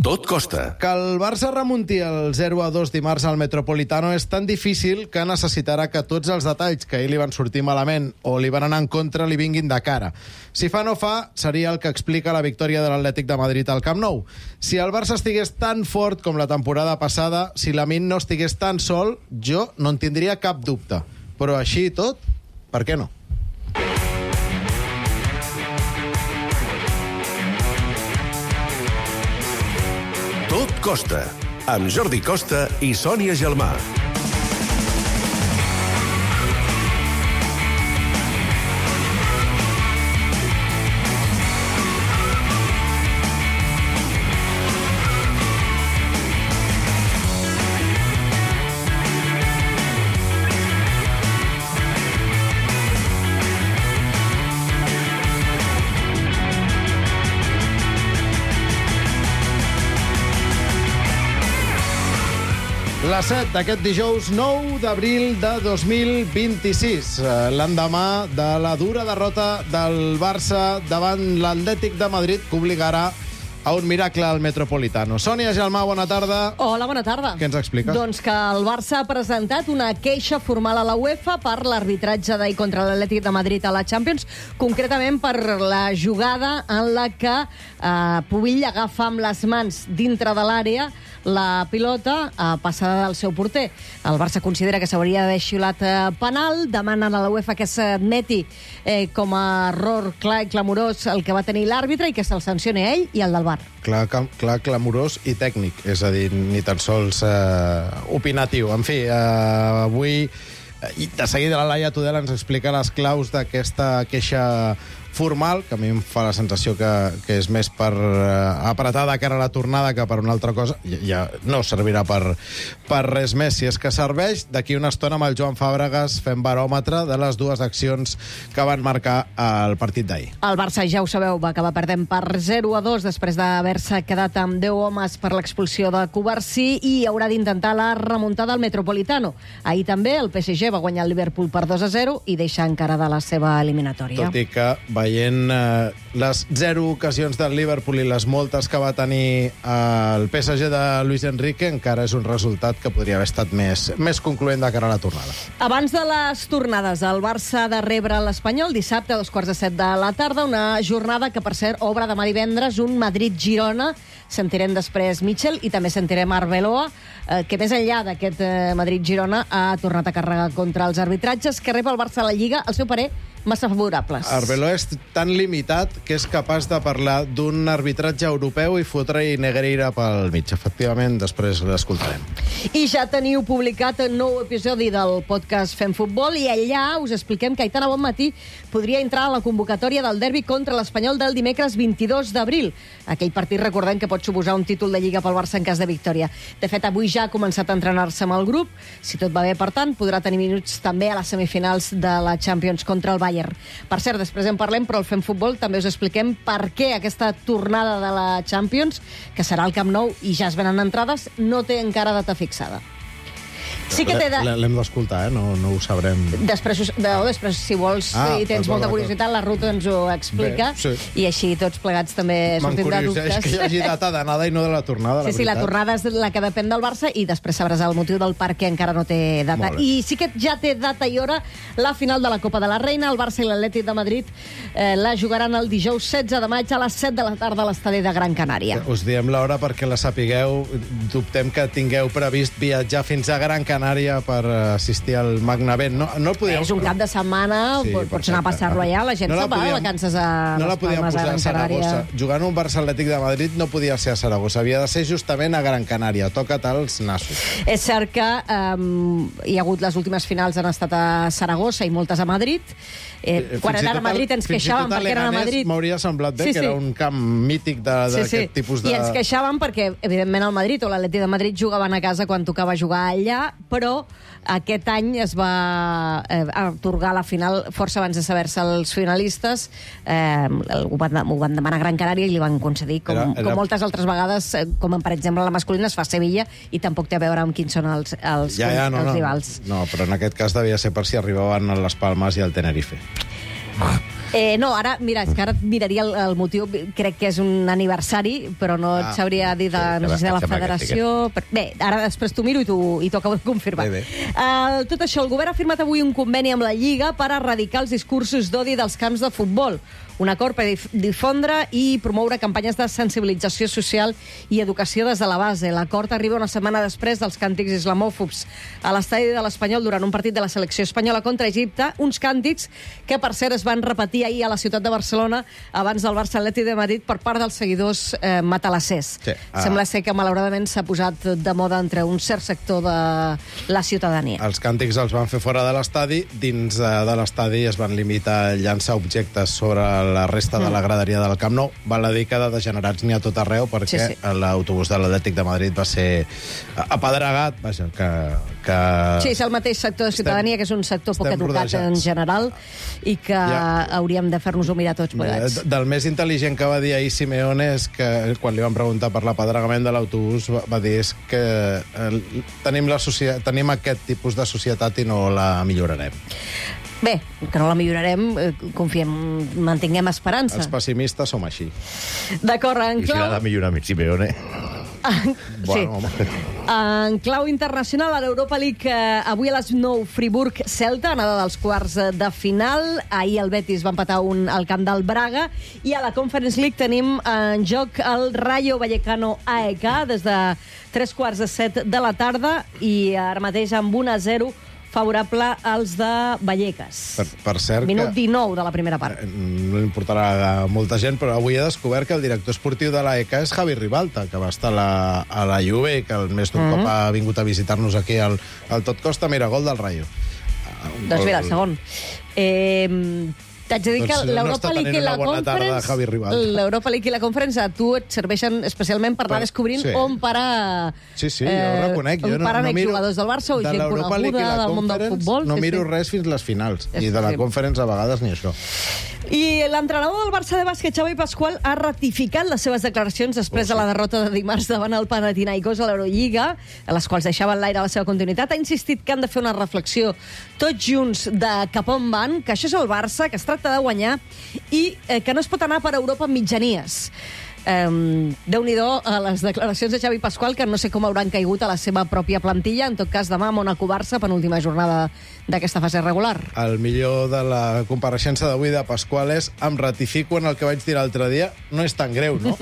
Tot costa. Que el Barça remunti el 0-2 dimarts al Metropolitano és tan difícil que necessitarà que tots els detalls que ahir li van sortir malament o li van anar en contra li vinguin de cara. Si fa no fa, seria el que explica la victòria de l'Atlètic de Madrid al Camp Nou. Si el Barça estigués tan fort com la temporada passada, si Lamine no estigués tan sol, jo no en tindria cap dubte. Però així i tot, per què no? Tot costa, amb Jordi Costa i Sònia Gelmà. La 7 d'aquest dijous 9 d'abril de 2026, l'endemà de la dura derrota del Barça davant l'Atlètic de Madrid, que obligarà a un miracle al Metropolitano. Sònia Gelmà, bona tarda. Hola, bona tarda. Què ens expliques? Doncs que el Barça ha presentat una queixa formal a la UEFA per l'arbitratge d'ahir contra l'Atlètic de Madrid a la Champions, concretament per la jugada en la que Pubill agafa amb les mans dintre de l'àrea la pilota passada del seu porter. El Barça considera que s'hauria d'haver xiulat penal, demanen a la UEFA que s'admeti com a error clar i clamorós el que va tenir l'àrbitre i que se'l sancioni a ell i al del VAR. Clar, clamorós i tècnic, és a dir, ni tan sols opinatiu. En fi, avui, de seguida la Laia Tudela ens explica les claus d'aquesta queixa formal, que a mi em fa la sensació que és més per apretar de cara a la tornada que per una altra cosa. Ja no servirà per res més. Si és que serveix, d'aquí una estona amb el Joan Fàbregas fem baròmetre de les dues accions que van marcar el partit d'ahir. El Barça, ja ho sabeu, va acabar perdent per 0-2 després d'haver-se quedat amb 10 homes per l'expulsió de Cubarsí i haurà d'intentar la remuntada al Metropolitano. Ahir també el PSG va guanyar el Liverpool per 2-0 i deixa encara de la seva eliminatòria. Tot i que veient les 0 ocasions del Liverpool i les moltes que va tenir el PSG de Luis Enrique, encara és un resultat que podria haver estat més concloent de cara a la tornada. Abans de les tornades, el Barça ha de rebre l'Espanyol dissabte a 2:15 de la tarda, una jornada que, per cert, obre demà divendres un Madrid-Girona. Sentirem després Mitchell i també sentirem Arbeloa, que més enllà d'aquest Madrid-Girona ha tornat a carregar contra els arbitratges que rep el Barça a la Lliga, al seu parer, massa favorables. Arbeloa és tan limitat que és capaç de parlar d'un arbitratge europeu i fotre-hi Negreira pel mig. Efectivament, després l'escoltarem. I ja teniu publicat un nou episodi del podcast Fem Futbol i allà us expliquem que Aitana Bonmatí podria entrar a la convocatòria del derbi contra l'Espanyol del dimecres 22 d'abril. Aquell partit, recordem, que pot suposar un títol de Lliga pel Barça en cas de victòria. De fet, avui ja ha començat a entrenar-se amb el grup. Si tot va bé, per tant, podrà tenir minuts també a les semifinals de la Champions contra el Bayern. Per cert, després en parlem, però al Fem Futbol també us expliquem per què aquesta tornada de la Champions, que serà al Camp Nou i ja es venen entrades, no té encara data fixada. Sí que l'hem d'escoltar, no ho sabrem. Després, si vols, si tens molta curiositat, la Ruth ens ho explica. Bé, sí. I així tots plegats també sortim de dubtes. M'encurioseix que hi hagi data d'anada i no de la tornada, Sí, la tornada és la que depèn del Barça i després sabràs el motiu del per què encara no té data. I sí que ja té data i hora la final de la Copa de la Reina. El Barça i l'Atlètic de Madrid la jugaran el dijous 16 de maig a les 7 de la tarda a l'estadi de Gran Canària. Us diem l'hora perquè la sapigueu. Dubtem que tingueu previst viatjar fins a Gran Canària per assistir al Magnavent. No podíem... És un cap de setmana, sí, pots anar a passar-lo allà, la gent se'n va de vacances a les Palmes, a Gran Canària. Jugant un Barça Atlètic de Madrid no podia ser a Saragossa, havia de ser justament a Gran Canària. Toca't els nassos. És cert que hi ha hagut les últimes finals han estat a Saragossa i moltes a Madrid. Quan era a Madrid ens queixàvem perquè eren a Madrid. M'hauria semblat bé que era un camp mític d'aquest tipus de... I ens queixàvem perquè, evidentment, el Madrid o l'Atlètic de Madrid jugaven a casa quan tocava jugar allà, però aquest any es va atorgar la final força abans de saber-se els finalistes. Ho van demanar a Gran Canària i li van concedir, com moltes altres vegades, com per exemple la masculina es fa a Sevilla i tampoc té a veure amb quins són els rivals. No, però en aquest cas devia ser per si arribaven a les Palmes i al Tenerife. No, ara, mira, és que ara et miraria el motiu. Crec que és un aniversari, però no et sabria dir no sé si de la federació. Bé, ara després t'ho miro i t'ho acabo de confirmar. Tot això, el govern ha firmat avui un conveni amb la Lliga per erradicar els discursos d'odi dels camps de futbol. Un acord per difondre i promoure campanyes de sensibilització social i educació des de la base. L'acord arriba una setmana després dels càntics islamòfobs a l'estadi de l'Espanyol durant un partit de la selecció espanyola contra Egipte, uns càntics que, per cert, es van repetir ahir a la ciutat de Barcelona abans del Barça Atlètic de Madrid per part dels seguidors matalassers. Sí. Sembla ser que, malauradament, s'ha posat de moda entre un cert sector de la ciutadania. Els càntics els van fer fora de l'estadi. Dins de l'estadi es van limitar a llançar objectes sobre la resta de la graderia del Camp Nou. Val a dir que de degenerats n'hi ha tot arreu, perquè l'autobús de l'Atlètic de Madrid va ser apedregat. Vaja, Sí, és el mateix sector de ciutadania, que és un sector poc educat en general, i que hauríem de fer-nos-ho mirar tots plegats. Del més intel·ligent que va dir ahir Simeone és que, quan li van preguntar per l'apedregament de l'autobús, va dir que tenim aquest tipus de societat i no la millorarem. Bé, que no la millorarem, confiem, mantinguem esperança. Els pessimistes som així. D'acord, en clau... I si l'ha de millorar amb Simeone... Sí. En clau internacional, a l'Europa League, avui a les 9, Friburg-Celta, anada dels quarts de final. Ahir el Betis va empatar al camp del Braga. I a la Conference League tenim en joc el Rayo Vallecano AEK des de 3:45 de la tarda, i ara mateix amb 1-0 favorable als de Vallecas. Per cert, minut 19 de la primera part. No importarà a molta gent, però avui he descobert que el director esportiu de l'AEK és Javi Ribalta, que va estar a la Juve i que més d'un cop ha vingut a visitar-nos aquí al Tot Costa. Mira, gol del Rayo. Doncs mira, el segon. T'haig de dir que l'Europa League i la Conference a tu et serveixen especialment per anar descobrint on parar... Sí, jo ho reconec. On paren jugadors del Barça o gent coneguda del món del futbol. No miro res fins les finals. I de la Conference a vegades ni això. I l'entrenador del Barça de bàsquet, Xavi Pascual, ha ratificat les seves declaracions després de la derrota de dimarts davant el Panathinaikos a l'Eurolliga, a les quals deixaven l'aire la seva continuïtat. Ha insistit que han de fer una reflexió tots junts de cap on van, que això és el Barça, que es tracta de guanyar i que no es pot anar per Europa amb mitjanies. Déu-n'hi-do a les declaracions de Xavi Pascual, que no sé com hauran caigut a la seva pròpia plantilla. En tot cas, demà Mónaco-Barça, penúltima jornada d'aquesta fase regular. El millor de la compareixença d'avui de Pascual és: em ratifico en el que vaig dir l'altre dia, no és tan greu, no?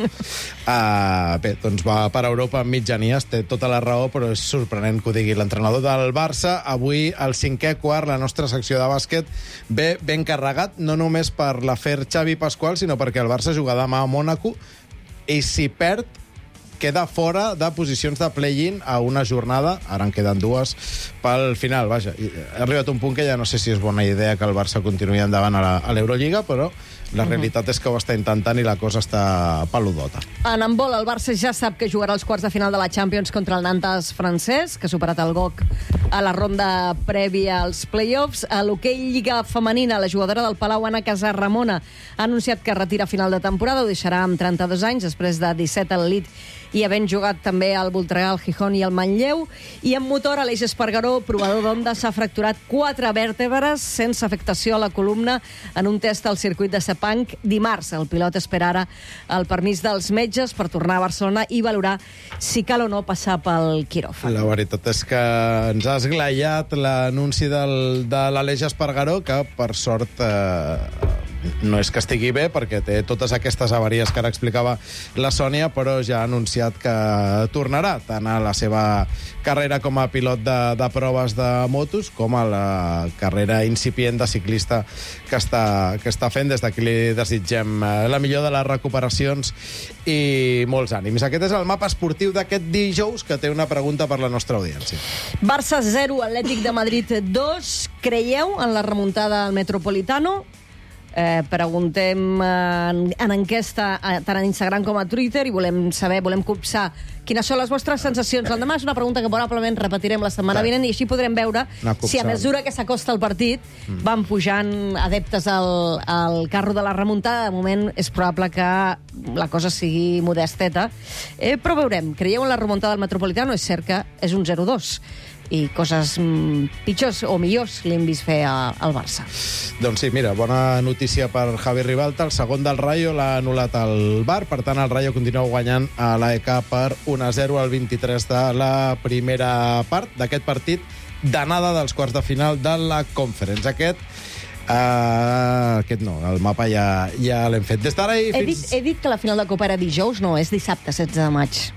Bé, doncs va per Europa amb mitjanies, té tota la raó, però és sorprenent que ho digui l'entrenador del Barça. Avui, al 5è quart, la nostra secció de bàsquet ve ben carregat, no només per l'afer Xavi Pascual, sinó perquè el Barça juga demà a Mònaco, i si perd, queda fora de posicions de play-in a una jornada, ara en queden dues, pel final. Vaja, ha arribat un punt que ja no sé si és bona idea que el Barça continuï endavant a l'Eurolliga, però la realitat és que ho està intentant i la cosa està peludota. En handbol, el Barça ja sap que jugarà els quarts de final de la Champions contra el Nantes francès, que ha superat el GOC a la ronda prèvia als play-offs. A l'hoquei Lliga Femenina, la jugadora del Palau, Anna Casarramona, ha anunciat que retira a final de temporada, ho deixarà amb 32 anys, després de 17 al Elite i havent jugat també al Voltregà, el Gijón i el Manlleu. I en motor, Aleix Espargaró, provador d'Honda, s'ha fracturat 4 vèrtebres sense afectació a la columna en un test al circuit de Sepang dimarts. El pilot espera ara el permís dels metges per tornar a Barcelona i valorar si cal o no passar pel quiròfan. La veritat és que ens ha esglaiat l'anunci de l'Aleix Espargaró, que per sort no és que estigui bé, perquè té totes aquestes avaries que ara explicava la Sònia, però ja ha anunciat que tornarà tant a la seva carrera com a pilot de proves de motos com a la carrera incipient de ciclista que està fent. Des d'aquí li desitgem la millor de les recuperacions i molts ànims. Aquest és el mapa esportiu d'aquest dijous, que té una pregunta per la nostra audiència. Barça 0, Atlètic de Madrid 2. Creieu en la remuntada al Metropolitano? Preguntem en enquesta tant a Instagram com a Twitter i volem copsar quines són les vostres sensacions. L'endemà és una pregunta que probablement repetirem la setmana vinent i així podrem veure si a mesura que s'acosta el partit van pujant adeptes al carro de la remuntada. De moment és probable que la cosa sigui modesteta, però veurem. Creieu en la remuntada del Metropolitano? És cert que és un 0-2. i coses pitjors o millors li hem vist fer al Barça. Doncs sí, mira, bona notícia per Javi Ribalta. El segon del Rayo l'ha anul·lat el VAR, per tant el Rayo continua guanyant a l'AEK per 1-0 al 23 de la primera part d'aquest partit d'anada dels quarts de final de la Conference. Aquest no, el mapa ja l'hem fet. Des d'ara i fins... He dit que la final de Copa era dijous, no, és dissabte, 16 de maig.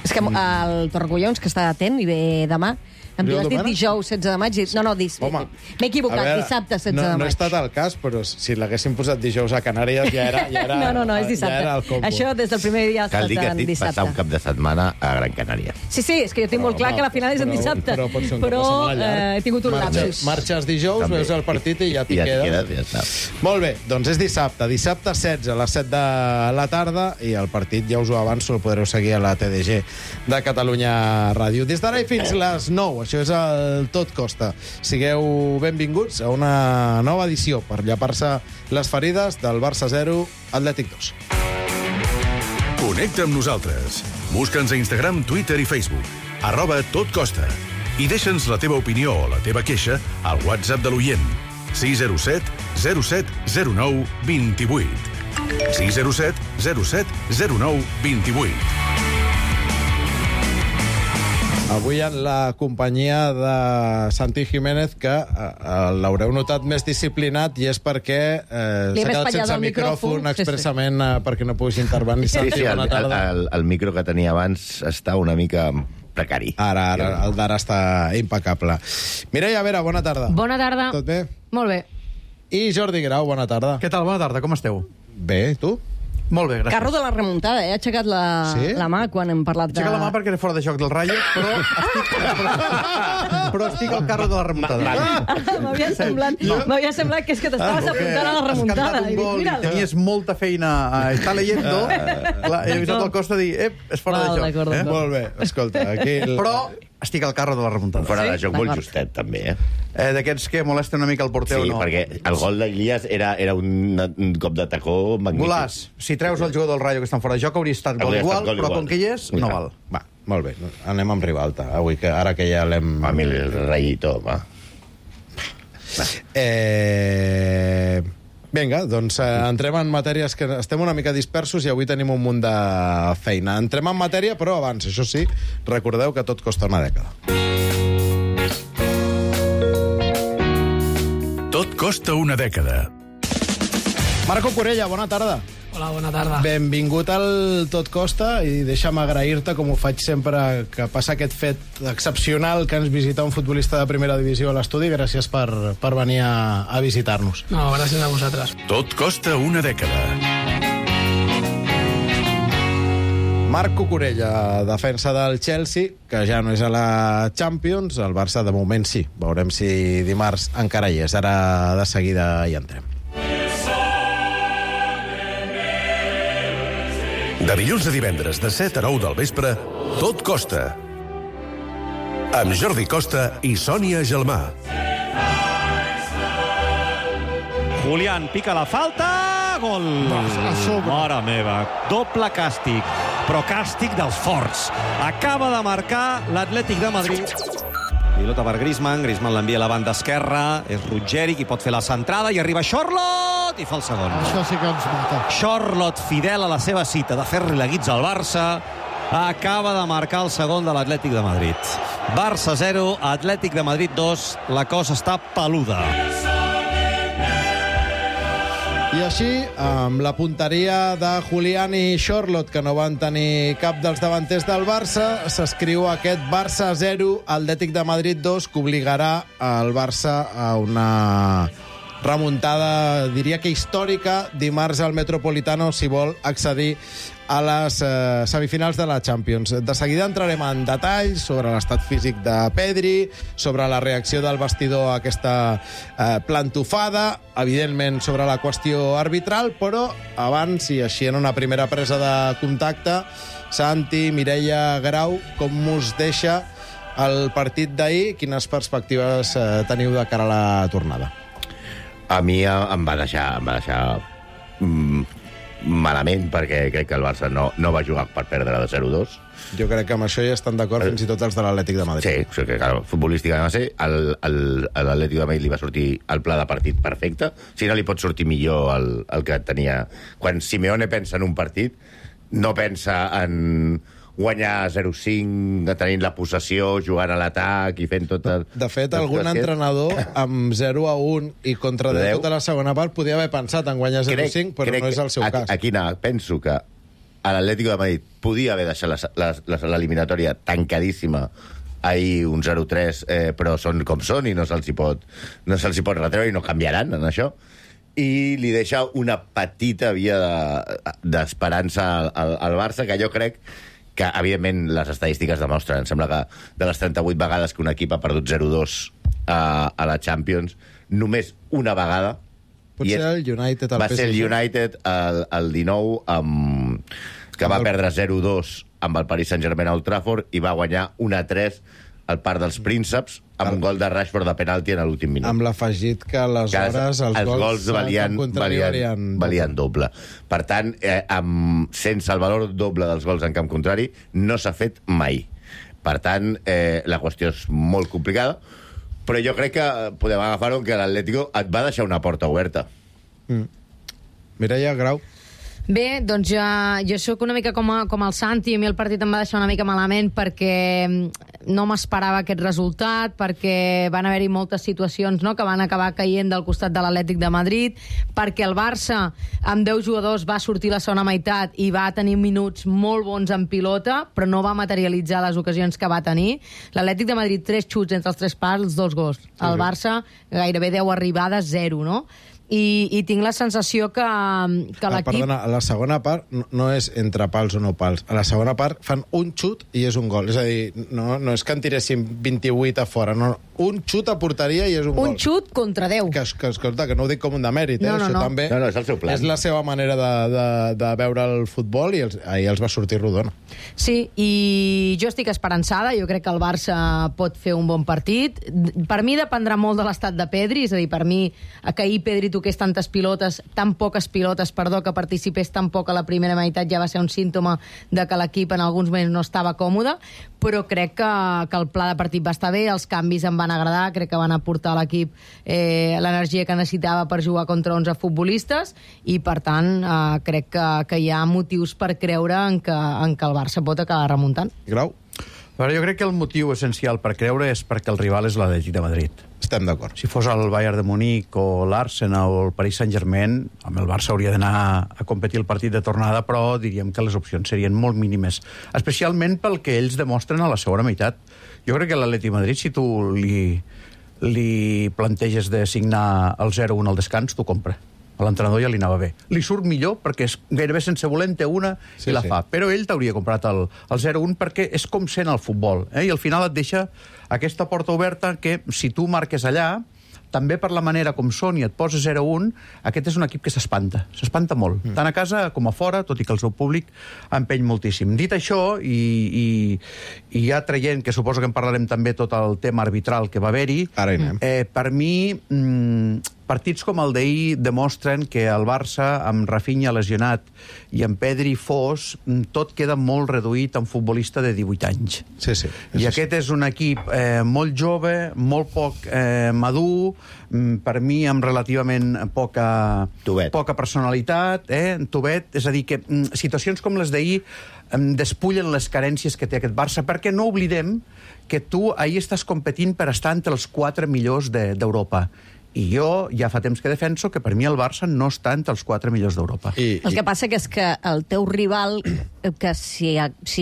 És que el Torrecollons, que està atent i ve demà, em diu, has dit dijous, 16 de maig? No, m'he equivocat, dissabte, 16 de maig. No he estat al cas, però si l'haguéssim posat dijous a Canàries ja era No, és dissabte. Ja era el combo. Això des del primer dia ha estat en dissabte. Cal dir que estic passar un cap de setmana a Gran Canària. Sí, és que jo tinc molt clar que la final és en dissabte, però he tingut un lapsus. Marxes dijous, veus el partit i ja t'hi quedes. Molt bé, doncs és dissabte 16 a les 7 de la tarda i el partit, ja us ho avanço, el podreu seguir a la TDG de Catalunya Ràdio. Des d'ara i fins les 9, això és el Tot Costa. Sigueu benvinguts a una nova edició per llepar-se les ferides del Barça 0, Atlètic 2. Connecta amb nosaltres. Busca'ns a Instagram, Twitter i Facebook. @totcosta. I deixa'ns la teva opinió o la teva queixa al WhatsApp de l'oient. 607 07 09 28. 607 07 09 28. Avui en la companyia de Santi Jiménez, que l'haureu notat més disciplinat, i és perquè s'ha quedat sense micròfon expressament perquè no puguis intervenir. Sí, el micro que tenia abans està una mica precari. Ara, el d'ara està impecable. Mireia Vera, bona tarda. Bona tarda. Tot bé? Molt bé. I Jordi Grau, bona tarda. Què tal? Bona tarda, com esteu? Bé, tu? Molt bé, gràcies. Carro de la remuntada, ha aixecat la mà quan hem parlat de... Aixeca la mà perquè era fora de joc del Rayo, però estic al carro de la remuntada. M'havia semblat que és que t'estaves apuntant a la remuntada. Has cantat un gol i tenies molta feina a estar leyendo. Clar, he avisat al Costa a dir, és fora de joc. Molt bé, escolta, aquí... Però estic al carro de la remuntada. Fora de joc molt justet, també, D'aquests que molesten una mica el porter o no. Sí, perquè el gol d'Ilias era un cop de tacó magnífic. Golàs, si treus el jugador del Rayo que estan fora de joc, hauria estat gol igual, però com que hi és, no val. Va, molt bé, anem amb Ribalta, avui, ara que ja l'hem... A mi el Rayito, va. Vinga, doncs entrem en matèries que estem una mica dispersos i avui tenim un munt de feina. Entrem en matèria, però abans, això sí, recordeu que tot costa una dècada. Tot costa una dècada. Marco Corella, bona tarda. Hola, bona tarda. Benvingut al Tot Costa i deixa'm agrair-te, com ho faig sempre que passa aquest fet excepcional que ens visita un futbolista de primera divisió a l'estudi. Gràcies per venir a visitar-nos. No, gràcies a vosaltres. Tot costa una dècada. Marco Corella, defensa del Chelsea, que ja no és a la Champions. El Barça, de moment, sí. Veurem si dimarts encara hi és. Ara, de seguida, hi entrem. De dilluns a divendres, de 7 a 9 del vespre, Tot costa. Amb Jordi Costa i Sònia Gelmà. Julián pica la falta, gol! Mare meva, doble càstig, però càstig dels forts. Acaba de marcar l'Atlètic de Madrid. Pilota per Griezmann l'envia a la banda esquerra, és Ruggeri qui pot fer la centrada i arriba Charlotte i fa el segon. Això sí que ens mata. Charlotte, fidel a la seva cita de fer-li la guitza al Barça, acaba de marcar el segon de l'Atlètic de Madrid. Barça 0, Atlètic de Madrid 2, la cosa està peluda. I així, amb la punteria de Julián i Charlotte, que no van tenir cap dels davanters del Barça, s'escriu aquest Barça 0, Atlètic de Madrid 2, que obligarà el Barça a una remuntada, diria que històrica, dimarts al Metropolitano, si vol accedir a les semifinals de la Champions. De seguida entrarem en detalls sobre l'estat físic de Pedri, sobre la reacció del vestidor a aquesta plantofada, evidentment sobre la qüestió arbitral, però abans, i així en una primera presa de contacte, Santi, Mireia, Grau, com us deixa el partit d'ahir? Quines perspectives teniu de cara a la tornada? A mi em va deixar malament, perquè crec que el Barça no va jugar per perdre de 0-2. Jo crec que amb això ja estan d'acord fins i tot els de l'Atlètic de Madrid. Sí, o sigui que, clar, futbolísticament va ser. A l'Atlètic de Madrid li va sortir el pla de partit perfecte. Si no li pot sortir millor el que tenia... Quan Simeone pensa en un partit, no pensa en guanyar 0-5, tenint la possessió, jugant a l'atac i fent tot... De fet, algun entrenador amb 0-1 i contra de tota la segona part podia haver pensat en guanyar 0-5, però no és el seu cas. Aquí penso que a l'Atlético de Madrid podia haver deixat l'eliminatòria tancadíssima ahir un 0-3, però són com són i no se'ls hi pot retreure i no canviaran en això. I li deixa una petita via d'esperança al Barça, que jo crec que, evidentment, les estadístiques demostren. Em sembla que de les 38 vegades que un equip ha perdut 0-2 a la Champions, només una vegada... Potser el United... Va ser el United el 19, que va perdre 0-2 amb el Paris Saint-Germain a Old Trafford i va guanyar 1-3 al Parc dels Prínceps amb un gol de Rashford de penalti en l'últim minut. Amb l'afegit que aleshores els gols valien doble. Per tant, sense el valor doble dels gols en camp contrari, no s'ha fet mai. Per tant, la qüestió és molt complicada, però jo crec que podem agafar-ho que l'Atlético et va deixar una porta oberta. Mireia Grau. Bé, doncs jo sóc una mica com el Santi. A mi el partit em va deixar una mica malament perquè no m'esperava aquest resultat, perquè van haver-hi moltes situacions, no?, que van acabar caient del costat de l'Atlètic de Madrid, perquè el Barça amb 10 jugadors va sortir la segona meitat i va tenir minuts molt bons en pilota, però no va materialitzar les ocasions que va tenir. L'Atlètic de Madrid, 3 xuts entre els 3 pals, 2 gols. El Barça gairebé 10 arribades, 0, no? I tinc la sensació que l'equip... Perdona, a la segona part no és entre pals o no pals. A la segona part fan un xut i és un gol. És a dir, no és que en tiréssim 28 a fora, no. Un xut a porteria i és un gol. Un xut contra 10. Escolta, que no ho dic com un demèrit, No. també és el seu plan. És la seva manera de veure el futbol i ahir els va sortir rodona. Sí, i jo estic esperançada. Jo crec que el Barça pot fer un bon partit. Per mi dependrà molt de l'estat de Pedri, és a dir, per mi que ahir Pedri toqués tan poques pilotes, que participés tan poc a la primera meitat ja va ser un símptoma de que l'equip en alguns moments no estava còmode, però crec que el pla de partit va estar bé, els canvis em van agradar, crec que van aportar a l'equip l'energia que necessitava per jugar contra 11 futbolistes i per tant crec que hi ha motius per creure en que el Barça pot acabar remuntant. Grau? Però jo crec que el motiu essencial per creure és perquè el rival és l'Atlètic de Madrid. Estem d'acord. Si fos el Bayern de Munic o l'Arsenal o el Paris Saint-Germain, amb el Barça hauria d'anar a competir el partit de tornada, però diríem que les opcions serien molt mínimes, especialment pel que ells demostren a la segona meitat. Jo crec que l'Atlètic de Madrid, si tu li planteges de signar el 0-1 al descans, t'ho compra. A l'entrenador ja li anava bé. Li surt millor perquè és gairebé sense voler en té una i la fa. Però ell t'hauria comprat el 0-1 perquè és com sent el futbol. I al final et deixa aquesta porta oberta que si tu marques allà, també per la manera com són i et poses 0-1, aquest és un equip que s'espanta molt, tant a casa com a fora, tot i que el seu públic empeny moltíssim. Dit això, i ja traient, que suposo que en parlarem també tot el tema arbitral que va haver-hi, per mi, partits com el d'ahir demostren que el Barça, amb Rafinha lesionat i amb Pedri fos, tot queda molt reduït a un futbolista de 18 anys. Sí. I aquest és un equip molt jove, molt poc madur, per mi amb relativament poca personalitat, tovet, és a dir, que situacions com les d'ahir despullen les carències que té aquest Barça, perquè no oblidem que tu ahir estàs competint per estar entre els 4 millors d'Europa. I jo ja fa temps que defenso que per mi el Barça no està entre els 4 millors d'Europa. El que passa és que el teu rival, que si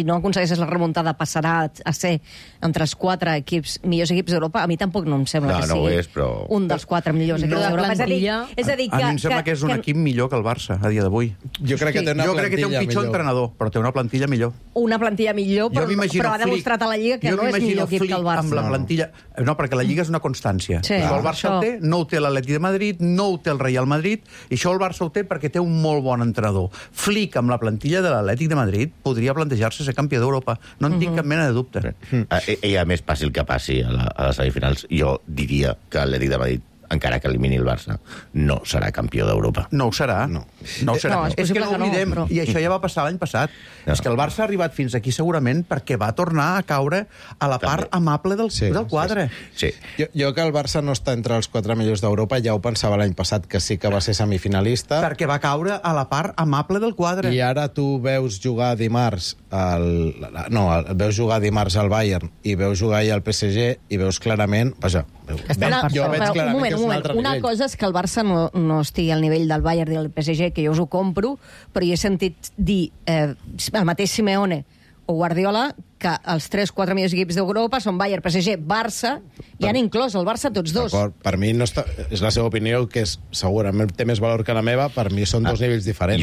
no aconsegueixes la remuntada passarà a ser entre els 4 millors equips d'Europa, a mi tampoc no em sembla que sigui un dels 4 millors equips d'Europa. És a dir, a mi em sembla que és un equip millor que el Barça a dia d'avui. Jo crec que té un pitjor entrenador, però té una plantilla millor. Una plantilla millor, però ha demostrat a la Lliga que no és millor equip que el Barça. Amb la plantilla... No, perquè la Lliga és una constància. El Barça té, no ho té l'Atlètic de Madrid, no ho té el Real Madrid, i això el Barça ho té perquè té un molt bon entrenador. Flick, amb la plantilla de l'Atlètic de Madrid, podria plantejar-se ser campió d'Europa. No en tinc cap mena de dubte. I a més, passi el que passi a les semifinals, jo diria que l'Atlètic de Madrid encara que elimini el Barça, no serà campió d'Europa. No ho serà. No. No ho serà. No, és És que possible no que no, oblidem, però- i això ja va passar l'any passat, No. és que el Barça ha arribat fins aquí segurament perquè va tornar a caure a la part amable del quadre. Sí. Jo que el Barça no està entre els 4 millors d'Europa, ja ho pensava l'any passat, que sí que va ser semifinalista. Perquè va caure a la part amable del quadre. I ara tu veus jugar dimarts veus jugar dimarts al Bayern i veus jugar ahir al PSG i veus clarament... Vaja, jo veig clarament que és un altre una nivell. cosa és que el Barça no estigui al nivell del Bayern i del PSG, que jo us ho compro, però jo he sentit dir el mateix Simeone o Guardiola que els 3-4 millors equips d'Europa són Bayern, PSG, Barça, i han inclòs el Barça tots dos. D'acord, per mi no està, és la seva opinió, que segurament té més valor que la meva, per mi són dos nivells diferents.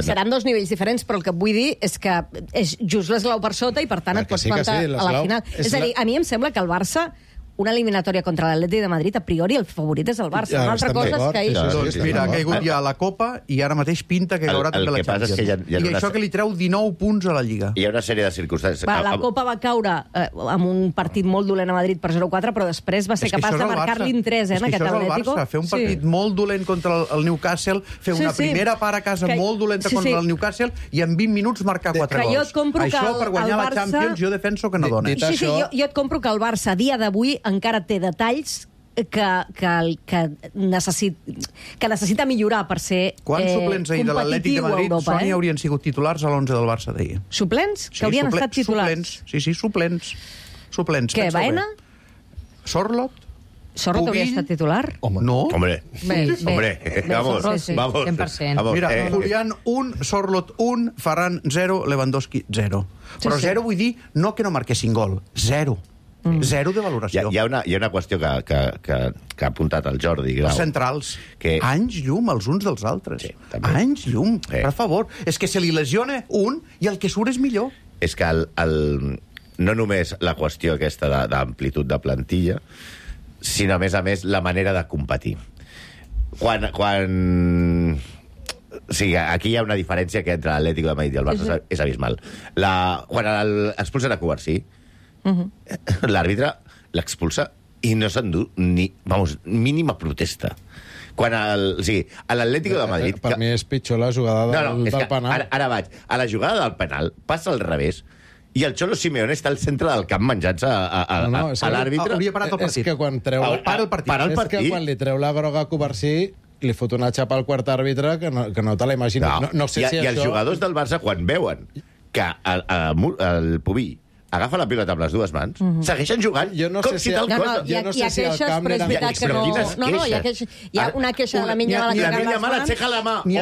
Seran dos nivells diferents, però el que vull dir és que és just l'esglau per sota i, per tant, et pots plantar a la final. És a dir, a mi em sembla que el Barça, una eliminatòria contra l'Atlètic de Madrid, a priori el favorit és el Barça. Una altra cosa és que ahir... Doncs mira, ha caigut ja a la Copa i ara mateix pinta que haurà també la Champions. I això que li treu 19 punts a la Lliga. Hi ha una sèrie de circumstàncies. La Copa va caure amb un partit molt dolent a Madrid per 0-4, però després va ser capaç de marcar-li en 3 en aquest Atlético. Fer un partit molt dolent contra el Newcastle, fer una primera part a casa molt dolenta contra el Newcastle i en 20 minuts marcar 4 gols. Això per guanyar la Champions jo defenso que no dona. Sí, jo et compro que el Barça a dia d'avui encara té detalls que necessita millorar per ser Quants suplents ahir de l'Atlètic de Madrid haurien sigut titulars a l'11 del Barça d'ahir? Suplents? Que haurien estat titulars? Sí, suplents. Què, Baena? Sorlot hauria estat titular? No. Hombre, vamos. 100%. Mira, Julián 1, Sorlot 1, Ferran 0, Lewandowski 0. Però 0 vull dir no que no marquessin gol, 0. 0 de valoració. Hi ha una qüestió que ha apuntat el Jordi Grau. Els centrals, anys llum els uns dels altres. Sí, també. Anys llum, per favor. És que se li lesiona un i el que surt és millor. És que no només la qüestió aquesta d'amplitud de plantilla, sinó, a més, la manera de competir. Quan... O sigui, aquí hi ha una diferència que entre l'Atlético de Madrid i el Barça és abismal. Quan expulsen a Cubarsí, l'àrbitre l'expulsa i no s'endú ni, mínima protesta. Quan a l'Atlético de Madrid... Per mi és pitjor la jugada del penal. Ara vaig. A la jugada del penal passa al revés i el Cholo Simeone està al centre del camp menjant-se a l'àrbitre. Hauria parat el partit. És que quan treu... Para el partit. És que quan li treu la groga a Covarsí li fot una xapa al quart àrbitre que no te la imagines. No sé si I els jugadors del Barça, quan veuen que el Pubi agafa la pilota amb les dues mans, segueixen jugant com si tal cosa. Jo no sé si el camp era... Hi ha una queixa de la Minya Mala que aixeca la mà. N'hi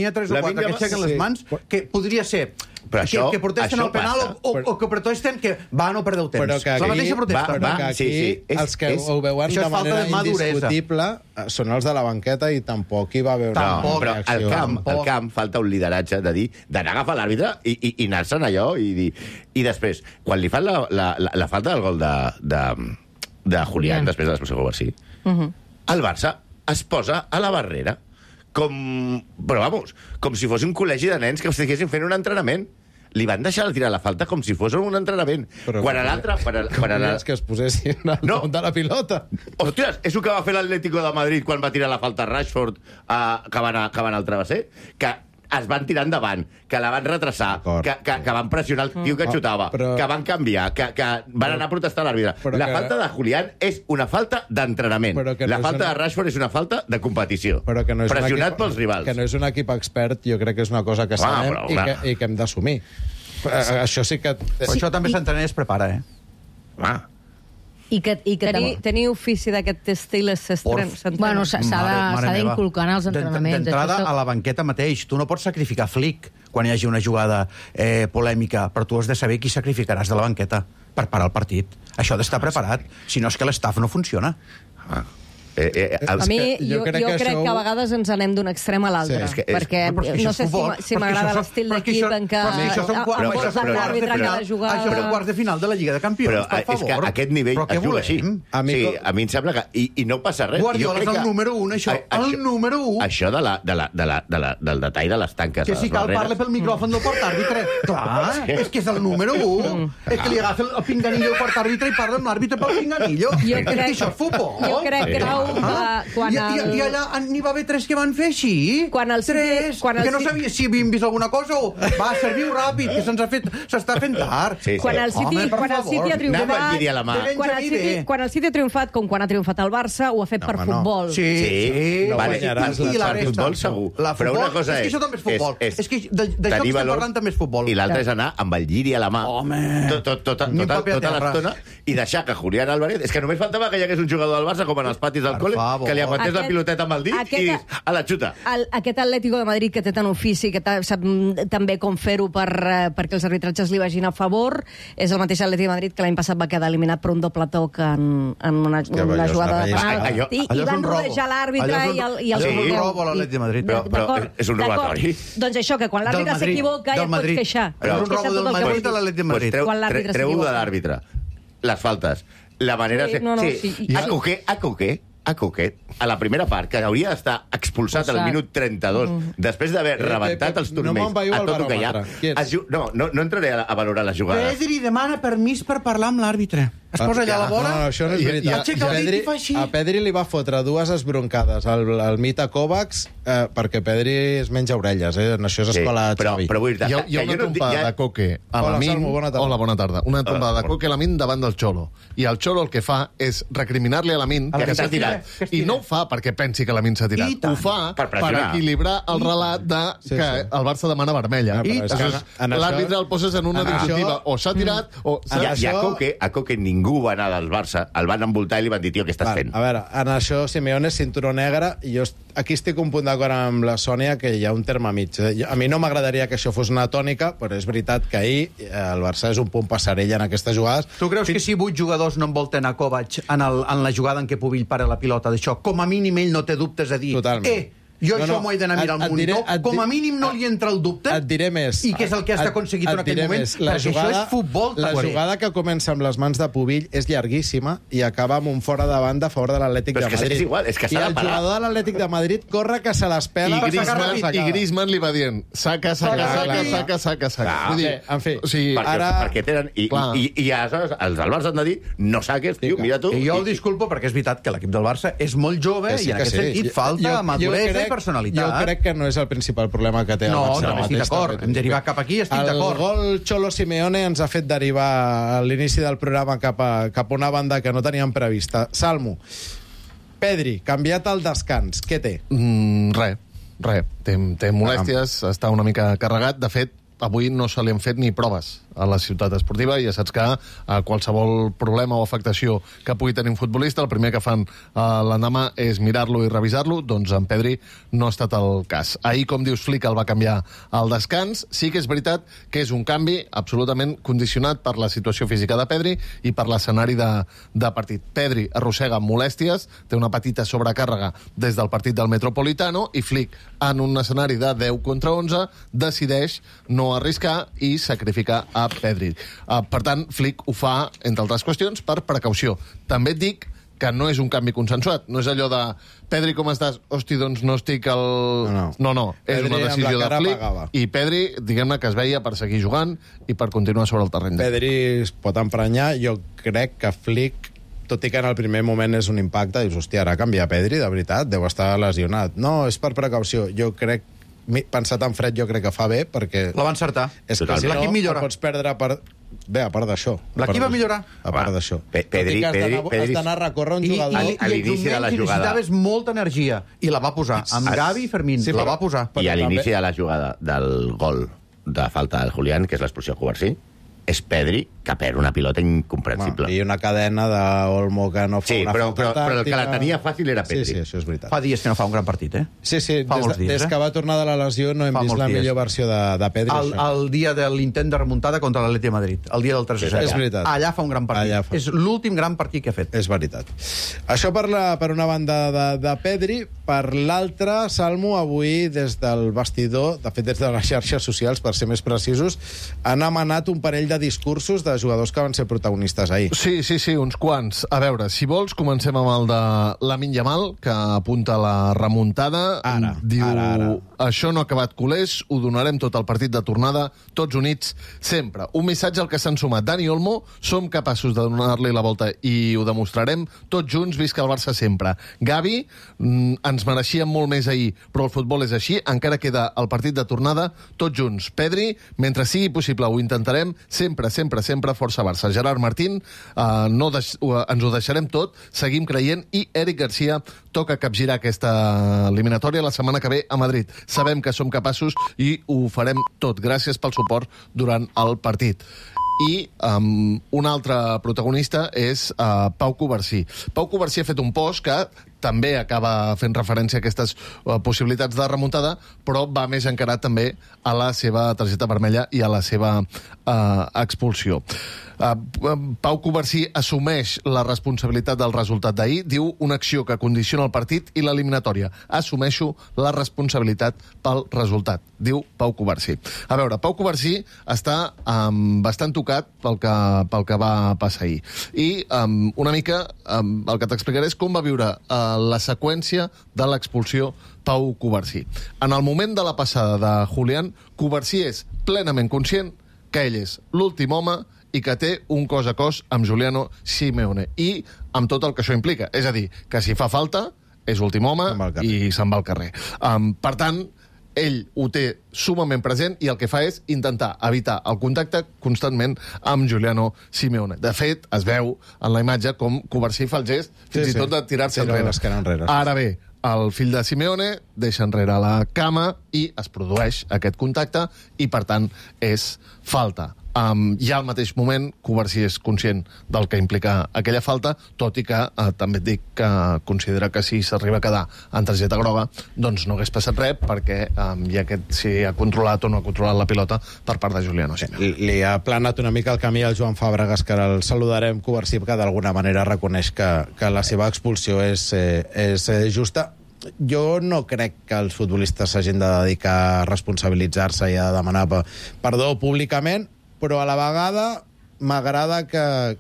ha 3 o 4 que aixequen les mans, que podria ser que protesten el penal o que protesten que va no perdeu temps. La mateixa protesta. Però que aquí els que ho veuen de manera indiscutible són els de la banqueta i tampoc hi va haver una reacció. Al camp falta un lideratge de dir, d'anar a agafar l'àrbitre i anar-se'n allò i dir... I després, quan li fan la falta del gol de Julián, després de l'expulsió de Covarsí, el Barça es posa a la barrera com si fos un col·legi de nens que estiguessin fent un entrenament. Li van deixar tirar la falta com si fos un entrenament. Quan l'altre... És que es posessin al damunt de la pilota. Hòsties, és el que va fer l'Atlético de Madrid quan va tirar la falta a Rashford que van al travesser, que es van tirar endavant, que la van retrasar, que van pressionar el tio que xutava, que van canviar, que van anar a protestar a l'àrbitre. La falta de Julián és una falta d'entrenament. La falta de Rashford és una falta de competició. Pressionat pels rivals. Que no és un equip expert, jo crec que és una cosa que sabem i que hem d'assumir. Això sí que... Això també s'entrena i es prepara, I que tenir ofici d'aquest estil Bueno, s'ha d'inculcar en els entrenaments. D'entrada, a la banqueta mateix. Tu no pots sacrificar Flick quan hi hagi una jugada polèmica, però tu has de saber qui sacrificaràs de la banqueta per parar el partit. Això ha d'estar preparat, si no és que l'estaf no funciona. A mi, jo crec que a vegades ens anem d'un extrem a l'altre, perquè no sé si m'agrada l'estil d'equip en què l'àrbitre que ha de jugar... Això són quarts de final de la Lliga de Campions, per favor. Però és que aquest nivell es juga així. A mi em sembla que... I no passa res. Guardiola és el número 1, això. El número 1. Això del detall de les tanques. Que si cal parle pel micròfon del portàrbitre. Clar, és que és el número 1. És que li agafa el pinganillo al portàrbitre i parla amb l'àrbitre pel pinganillo. És que això és futbol. Jo crec, Grau, I allà n'hi va haver 3 que van fer així? Quan el City... 3? Que no sabia si havíem vist alguna cosa o... Va, serviu ràpid, que s'està fent tard. Quan el City ha triomfat... Quan el City ha triomfat, com quan ha triomfat el Barça, ho ha fet per futbol. Sí. No guanyaràs per futbol segur. Però una cosa és que això també és futbol. És que d'això que estem parlant també és futbol. I l'altre és anar amb el lliri a la mà tota l'estona i deixar que Julián Álvarez... És que només faltava que hi hagués un jugador del Barça com en els patis del col·le, que li aguantés la piloteta amb el dit i a la xuta. Aquest Atlético de Madrid que té tant ofici, que sap també com fer-ho perquè els arbitratges li vagin a favor, és el mateix Atlético de Madrid que l'any passat va quedar eliminat per un doble toc en una jugada de penal. I van rodejar l'àrbitre i el... Allò és un robo a l'Atlético de Madrid. Però és un robatori. Doncs això, que quan l'àrbitre s'equivoca ja et pots queixar. Però és un robo del Madrid a l'Atlético de Madrid. Treu-ho de l'àrbitre. Les faltes. La manera de fer... Sí. A Coquet, a la primera part, que hauria d'estar expulsat al minut 32, després d'haver rebentat els turmells a tot el que hi ha. No entraré a valorar les jugades. Pedri demana permís per parlar amb l'àrbitre. Es posa allà a la vora... No, això no és veritat. A Pedri li va fotre 2 esbroncades al Mita Kovacs perquè Pedri es menja orelles. En això és escola Xavi. Hi ha una trompada de Coque a Lamin... Hola, bona tarda. Una trompada de Coque a Lamin davant del Xolo. I el Xolo el que fa és recriminar-li a Lamin que s'ha tirat. I no ho fa perquè pensi que Lamin s'ha tirat. Ho fa per equilibrar el relat que el Barça demana vermella. L'àrbitre el poses en una disyuntiva. O s'ha tirat o... I a Coque ningú va anar del Barça, el van envoltar i li van dir, tio, què estàs fent? A veure, en això Simeone és cinturó negre i jo aquí estic un punt d'acord amb la Sònia que hi ha un terme mig. A mi no m'agradaria que això fos una tònica, però és veritat que ahir el Barça és un punt passarell en aquestes jugades. Tu creus que si 8 jugadors no envolten a Kovac en la jugada en què Pubill para la pilota d'això, com a mínim ell no té dubtes de dir jo això m'ho he d'anar a mirar al monitor, com a mínim no li entra el dubte, et diré més, i que és el que has aconseguit en aquell moment, perquè això és futbol. La jugada que comença amb les mans de Pubill és llarguíssima i acaba amb un fora de banda a favor de l'Atlètic de Madrid. És igual, és que I el jugador de l'Atlètic de Madrid corre que se les pela. I Griezmann li va dient saca. En fi, perquè tenen... I aleshores els del Barça han de dir no saques, tio, mira tu. I jo el disculpo perquè és veritat que l'equip del Barça és molt jove i en aquest sentit falta maduresa i personalitat. Jo crec que no és el principal problema que té el Barça. No, estic d'acord. Hem derivat cap aquí, estic d'acord. El gol Cholo Simeone ens ha fet derivar a l'inici del programa cap a una banda que no teníem prevista. Salmo, Pedri, canviat al descans, què té? Res. Té molèsties, està una mica carregat. De fet, avui no se li han fet ni proves a la ciutat esportiva i ja saps que qualsevol problema o afectació que pugui tenir un futbolista, el primer que fan l'endemà és mirar-lo i revisar-lo. Doncs en Pedri no ha estat el cas. Ahir, com dius, Flick el va canviar al descans. Sí que és veritat que és un canvi absolutament condicionat per la situació física de Pedri i per l'escenari de partit. Pedri arrossega molèsties, té una petita sobrecàrrega des del partit del Metropolitano i Flick, en un escenari de 10 contra 11, decideix no arriscar i sacrificar a Pedri. Per tant, Flick ho fa, entre altres qüestions, per precaució. També et dic que no és un canvi consensuat. No és allò de Pedri, com estàs? Hosti, doncs no estic al... No. És una decisió de Flick. I Pedri, diguem-ne que es veia per seguir jugant i per continuar sobre el terreny. Pedri es pot emprenyar. Jo crec que Flick, tot i que en el primer moment és un impacte, dius, hòstia, ara canviar Pedri, de veritat, deu estar lesionat. No, és per precaució. Jo crec, pensat en fred, jo crec que fa bé, perquè... La va encertar. És que si l'equip millora. Pots perdre per... Bé, a part d'això. L'equip va millorar. A part d'això. Pedri... Has d'anar a recórrer un jugador... A l'inici de la jugada... necessitaves molta energia, i la va posar. Amb Gavi i Fermín, la va posar. I a l'inici de la jugada del gol de falta del Julián, que és l'expulsió a Cubarsí, és Pedri que perd una pilota incomprensible. I una cadena d'Olmo que no fa una falta tàctica. Però el que la tenia fàcil era Pedri. Sí, això és veritat. Fa dies que no fa un gran partit, Sí, des que va tornar de la lesió no hem vist la millor versió de Pedri. El dia de l'intent de remuntada contra l'Atlètic de Madrid, el dia del 3-0. És veritat. Allà fa un gran partit. És l'últim gran partit que ha fet. És veritat. Això per una banda de Pedri. Per l'altra, Salmo, avui des del vestidor, de fet des de les xarxes socials, per ser més precisos, han emanat un parell de discursos de jugadors que van ser protagonistes ahir. Sí, uns quants. A veure, si vols, comencem amb el de Lamine Yamal, que apunta la remuntada. Ara. Això no ha acabat, culers, ho donarem tot al partit de tornada, tots units, sempre. Un missatge al que s'han sumat Dani Olmo, som capaços de donar-li la volta i ho demostrarem, tots junts, visca el Barça sempre. Gavi, ens mereixíem molt més ahir, però el futbol és així, encara queda el partit de tornada, tots junts. Pedri, mentre sigui possible, ho intentarem, sempre, sempre, sempre, força Barça. Gerard Martín, ens ho deixarem tot, seguim creient, i Eric Garcia toca capgirar aquesta eliminatòria la setmana que ve a Madrid. Sabem que som capaços i ho farem tot. Gràcies pel suport durant el partit. I un altre protagonista és Pau Covarsí. Pau Covarsí ha fet un post que també acaba fent referència a aquestes possibilitats de remuntada, però va més encarat també a la seva targeta vermella i a la seva expulsió. Pau Covarsí assumeix la responsabilitat del resultat d'ahir, diu una acció que condiciona el partit i l'eliminatòria. Assumeixo la responsabilitat pel resultat, diu Pau Covarsí. A veure, Pau Covarsí està bastant tocat pel que va passar ahir. I una mica el que t'explicaré és com va viure la seqüència de l'expulsió Pau Covarsí. En el moment de la passada de Julián, Covarsí és plenament conscient que ell és l'últim home i que té un cos a cos amb Giuliano Simeone, i amb tot el que això implica. És a dir, que si fa falta, és últim home i se'n va al carrer. Per tant, ell ho té sumament present i el que fa és intentar evitar el contacte constantment amb Giuliano Simeone. De fet, es veu en la imatge com Covarsí fa el gest fins i tot de tirar-se enrere. Ara bé, el fill de Simeone deixa enrere la cama i es produeix aquest contacte i, per tant, és falta. Ja al mateix moment, Covarsí és conscient del que implica aquella falta, tot i que també et dic que considera que si s'arriba a quedar en targeta groga, doncs no hagués passat res, perquè si ha controlat o no ha controlat la pilota per part de Giuliano Simeone. Li ha planat una mica el camí al Joan Fàbregas, que ara el saludarem. Covarsí, que d'alguna manera reconeix que la seva expulsió és justa. Jo no crec que els futbolistes s'hagin de dedicar a responsabilitzar-se i a demanar perdó públicament, però a la vegada m'agrada que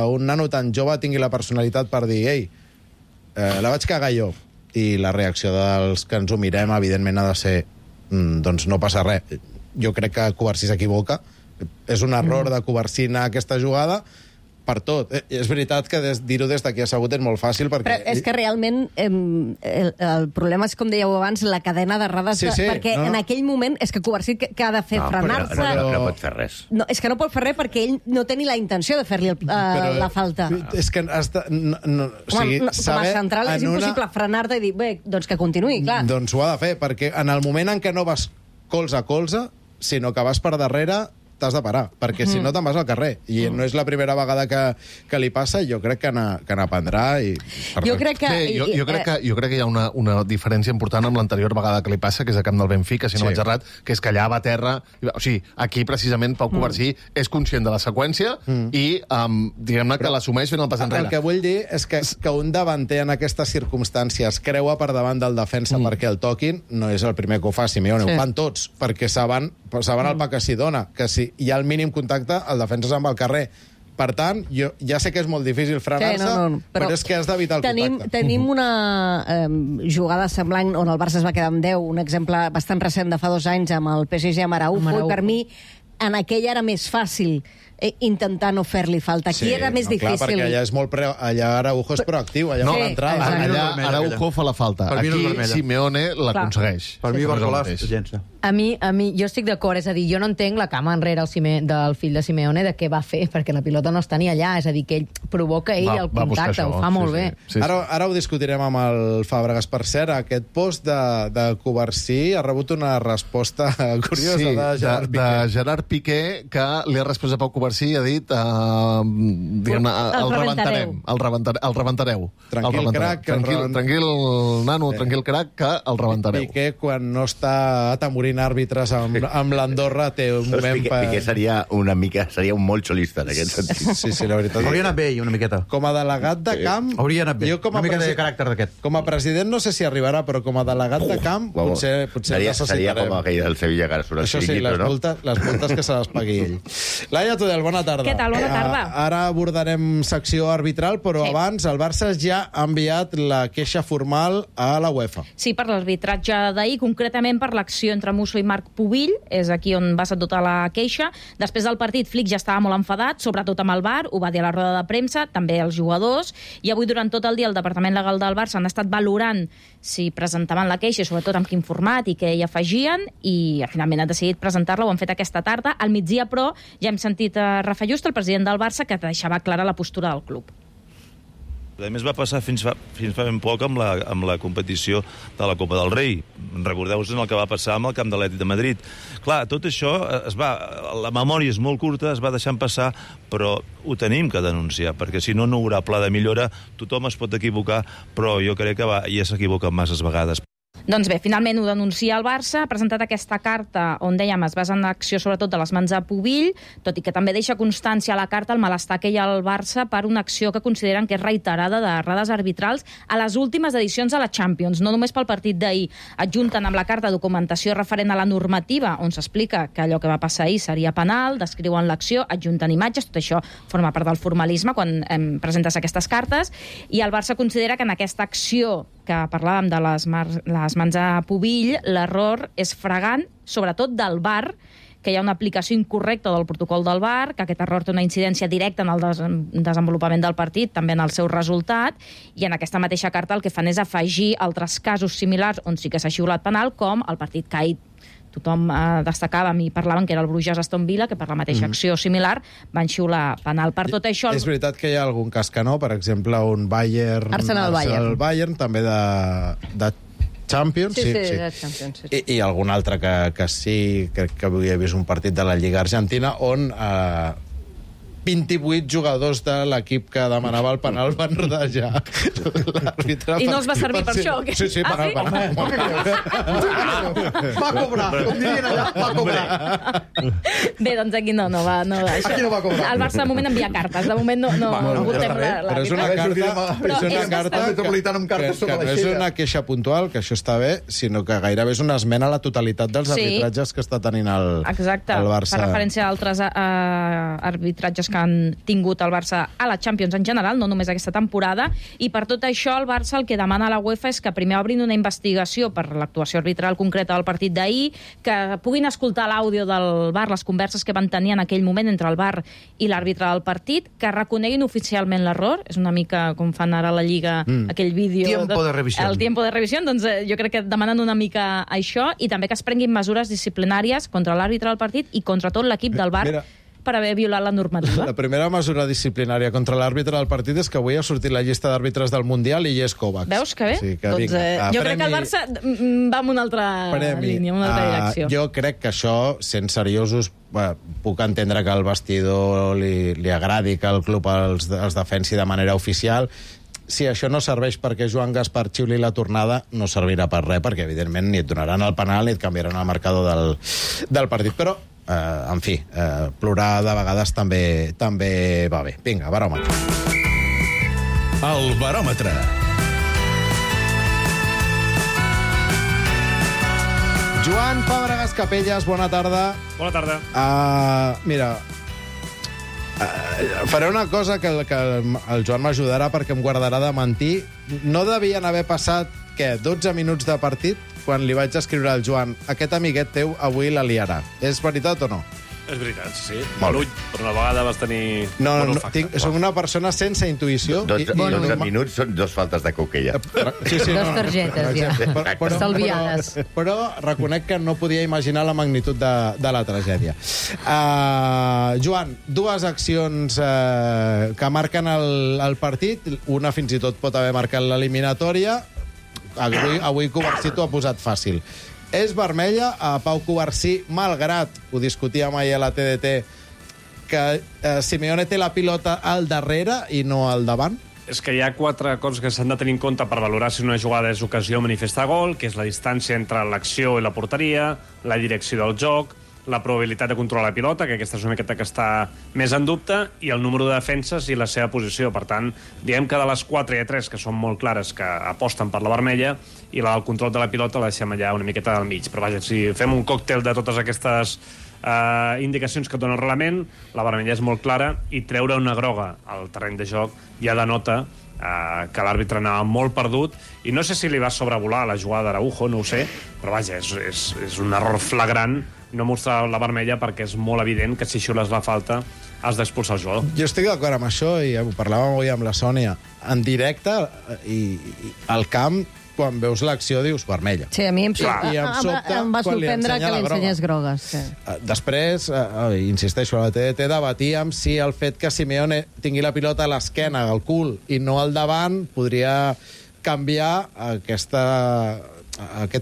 un nano tan jove tingui la personalitat per dir ei, la vaig cagar jo. I la reacció dels que ens ho mirem, evidentment, ha de ser doncs no passa res. Jo crec que Covarsí s'equivoca. És un error de Covarsí anar a aquesta jugada per tot. És veritat que dir-ho des d'aquí assegut és molt fàcil, perquè... Però és que realment el problema és, com dèieu abans, la cadena d'errades, perquè en aquell moment és que Covarsí que ha de fer frenar-se... No pot fer res. No, és que no pot fer res perquè ell no té ni la intenció de fer-li la falta. És que com a central és impossible frenar-te i dir, bé, doncs que continuï, clar. Doncs ho ha de fer, perquè en el moment en què no vas colze a colze, sinó que vas per darrere, t'has de parar, perquè si no te'n vas al carrer. I no és la primera vegada que li passa, i jo crec que n'aprendrà. Jo crec que... Jo crec que hi ha una diferència important amb l'anterior vegada que li passa, que és a camp del Benfica, si no vaig errat, que és que allà va a terra... O sigui, aquí, precisament, Pau Covarsí és conscient de la seqüència i, diguem-ne, que l'assumeix fent el pas enrere. El que vull dir és que un davanter en aquestes circumstàncies creua per davant del defensa perquè el toquin, no és el primer que ho fa Simeone, ho fan tots, perquè saben el pa que s'hi dona, que si hi ha el mínim contacte, el defensa se'n va al carrer. Per tant, jo ja sé que és molt difícil frenar-se, però és que has d'evitar el contacte. Tenim una jugada semblant on el Barça es va quedar amb 10, un exemple bastant recent de fa 2 anys amb el PSG amb Araujo, i per mi en aquella era més fàcil intentar no fer-li falta. Aquí era més difícil. Clar, perquè allà és molt allà Araujo és proactiu, allà fa l'entrada. Allà Araujo fa la falta. Aquí Simeone l'aconsegueix. Per mi Barcolà es llença. A mi, jo estic d'acord, és a dir, jo no entenc la cama enrere del fill de Simeone de què va fer, perquè la pilota no està ni allà, és a dir, que ell provoca el contacte, ho fa molt bé. Ara ho discutirem amb el Fàbregas. Per cert, aquest post de Covarsí ha rebut una resposta curiosa de Gerard Piqué, que li ha respost a Pau Covarsí i ha dit el rebentareu. Tranquil, crac. Tranquil, nano, tranquil, crac, que el rebentareu. Piqué, quan no està atemorint àrbitres amb l'Andorra, té un moment Piqué seria un molt xolista en aquest sentit. Sí, la veritat. Hauria anat bé, una miqueta. Com a delegat de camp... Hauria anat bé, una miqueta de caràcter d'aquest. Com a president no sé si arribarà, però com a delegat de camp potser seria com aquell del Sevilla que ara surt el Això sí, les multes que se les pagui ell. Laia Tudela, Tudel, bona tarda. Què tal? Bona tarda. Ara abordarem secció arbitral, però abans el Barça ja ha enviat la queixa formal a la UEFA. Sí, per l'arbitratge d'ahir, concretament per l'acció entre Musso i Marc Pubill, és aquí on va ser tota la queixa. Després del partit, Flick ja estava molt enfadat, sobretot amb el VAR, ho va dir a la roda de premsa, també els jugadors, i avui durant tot el dia el Departament Legal del Barça han estat valorant si presentaven la queixa, sobretot amb quin format i què hi afegien, i finalment han decidit presentar-la, ho han fet aquesta tarda. Al migdia, però, ja hem sentit a Rafa Just, el president del Barça, que deixava clara la postura del club. A més, va passar fins fa ben poc amb la competició de la Copa del Rei. Recordeu-vos el que va passar amb el camp de l'Atlètic de Madrid. Clar, tot això, la memòria és molt curta, es va deixant passar, però ho tenim que denunciar, perquè si no, no hi haurà pla de millora. Tothom es pot equivocar, però jo crec que ja s'equivoca masses vegades. Doncs bé, finalment ho denuncia el Barça, ha presentat aquesta carta on, dèiem, es basa en l'acció sobretot de les mans a Pubill, tot i que també deixa constància a la carta el malestar que hi ha al Barça per una acció que consideren que és reiterada d'errades arbitrals a les últimes edicions de la Champions, no només pel partit d'ahir. Adjunten amb la carta documentació referent a la normativa, on s'explica que allò que va passar ahir seria penal, descriuen l'acció, adjunten imatges, tot això forma part del formalisme quan presentes aquestes cartes, i el Barça considera que en aquesta acció que parlàvem de les mans a Pubill, l'error és flagrant, sobretot del VAR, que hi ha una aplicació incorrecta del protocol del VAR, que aquest error té una incidència directa en el desenvolupament del partit, també en el seu resultat, i en aquesta mateixa carta el que fan és afegir altres casos similars on sí que s'ha xiulat penal, com el partit que ahir tothom destacàvem i parlaven que era el Bruges-Aston Villa, que per la mateixa acció similar van xiular penal. Per tot això... És veritat que hi ha algun cas que no, per exemple, un Bayern... Arsenal-Bayern, també de Champions. Sí, de Champions. Sí. I algun altre que sí, crec que avui he vist un partit de la Lliga Argentina on 28 jugadors de l'equip que demanava el penal van rodejar l'àrbitre. I no els va servir per això? Sí, per el penal. Va cobrar, com dirien allà, va cobrar. Bé, doncs aquí no va. Aquí no va cobrar. El Barça de moment envia cartes, de moment no votem l'àrbitre. Però és una carta que no és una queixa puntual, que això està bé, sinó que gairebé és una esmena a la totalitat dels arbitratges que està tenint el Barça. Exacte, per referència a altres arbitratges que han tingut el Barça a la Champions en general, no només aquesta temporada, i per tot això el Barça el que demana a la UEFA és que primer obrin una investigació per l'actuació arbitral concreta del partit d'ahir, que puguin escoltar l'àudio del VAR, les converses que van tenir en aquell moment entre el VAR i l'àrbitre del partit, que reconeguin oficialment l'error, és una mica com fan ara a la Lliga aquell vídeo... Tiempo de revisión. El tiempo de revisión, doncs jo crec que demanen una mica això, i també que es prenguin mesures disciplinàries contra l'àrbitre del partit i contra tot l'equip del VAR, per haver violat la normativa. La primera mesura disciplinària contra l'àrbitre del partit és que avui ha sortit la llista d'àrbitres del Mundial i hi és Kovacs. Veus que bé? Sí, que doncs, jo crec que el Barça va en una altra línia, en una altra direcció. Jo crec que això, sent seriosos, puc entendre que al vestidor li agradi que el club els defensi de manera oficial. Si això no serveix perquè Joan Gaspar xiuli la tornada, no servirà per res, perquè evidentment ni et donaran el penal ni et canviaran el marcador del partit. Però en fi, plorar de vegades també va bé. Vinga, baròmetre. El baròmetre. Joan Fàbregas Capelles, bona tarda. Bona tarda. Mira, faré una cosa que el Joan m'ajudarà perquè em guardarà de mentir. No devien haver passat, 12 minuts de partit quan li vaig escriure al Joan: aquest amiguet teu avui la liarà. És veritat o no? És veritat, sí. Molt bé. Per una vegada vas tenir... Soc una persona sense intuïció. 12 minuts són 2 faltes de coquella. Sí, Dos targetes, ja. Estalviades. Però reconec que no podia imaginar la magnitud de la tragèdia. Joan, 2 accions que marquen el partit. Una fins i tot pot haver marcat l'eliminatòria. Avui Covarsí t'ho ha posat fàcil. És vermella a Pau Covarsí, malgrat, ho discutíem ahir a la TDT, que Simeone té la pilota al darrere i no al davant? És que hi ha 4 coses que s'han de tenir en compte per valorar si una jugada és ocasió o manifesta gol, que és la distància entre l'acció i la porteria, la direcció del joc, la probabilitat de controlar la pilota, que aquesta és una miqueta que està més en dubte, i el número de defenses i la seva posició. Per tant, diem que de les 4 hi ha 3 que són molt clares, que aposten per la vermella, i la del control de la pilota la deixem allà una miqueta al mig. Però vaja, si fem un còctel de totes aquestes indicacions que et dona el reglament, la vermella és molt clara, i treure una groga al terreny de joc ja denota que l'àrbitre anava molt perdut, i no sé si li va sobrevolar la jugada d'Araujo, no ho sé, però vaja, és un error flagrant no mostrar la vermella, perquè és molt evident que si xiules la falta has d'expulsar el jugador. Jo estic d'acord amb això, i ho parlàvem avui amb la Sònia. En directe, i al camp, quan veus l'acció dius vermella. Sí, a mi em va quan li sorprendre que ensenya la li ensenyés grogues. Sí. Després, insisteixo, a la TDT debatíem si el fet que Simeone tingui la pilota a l'esquena, al cul, i no al davant, podria canviar aquest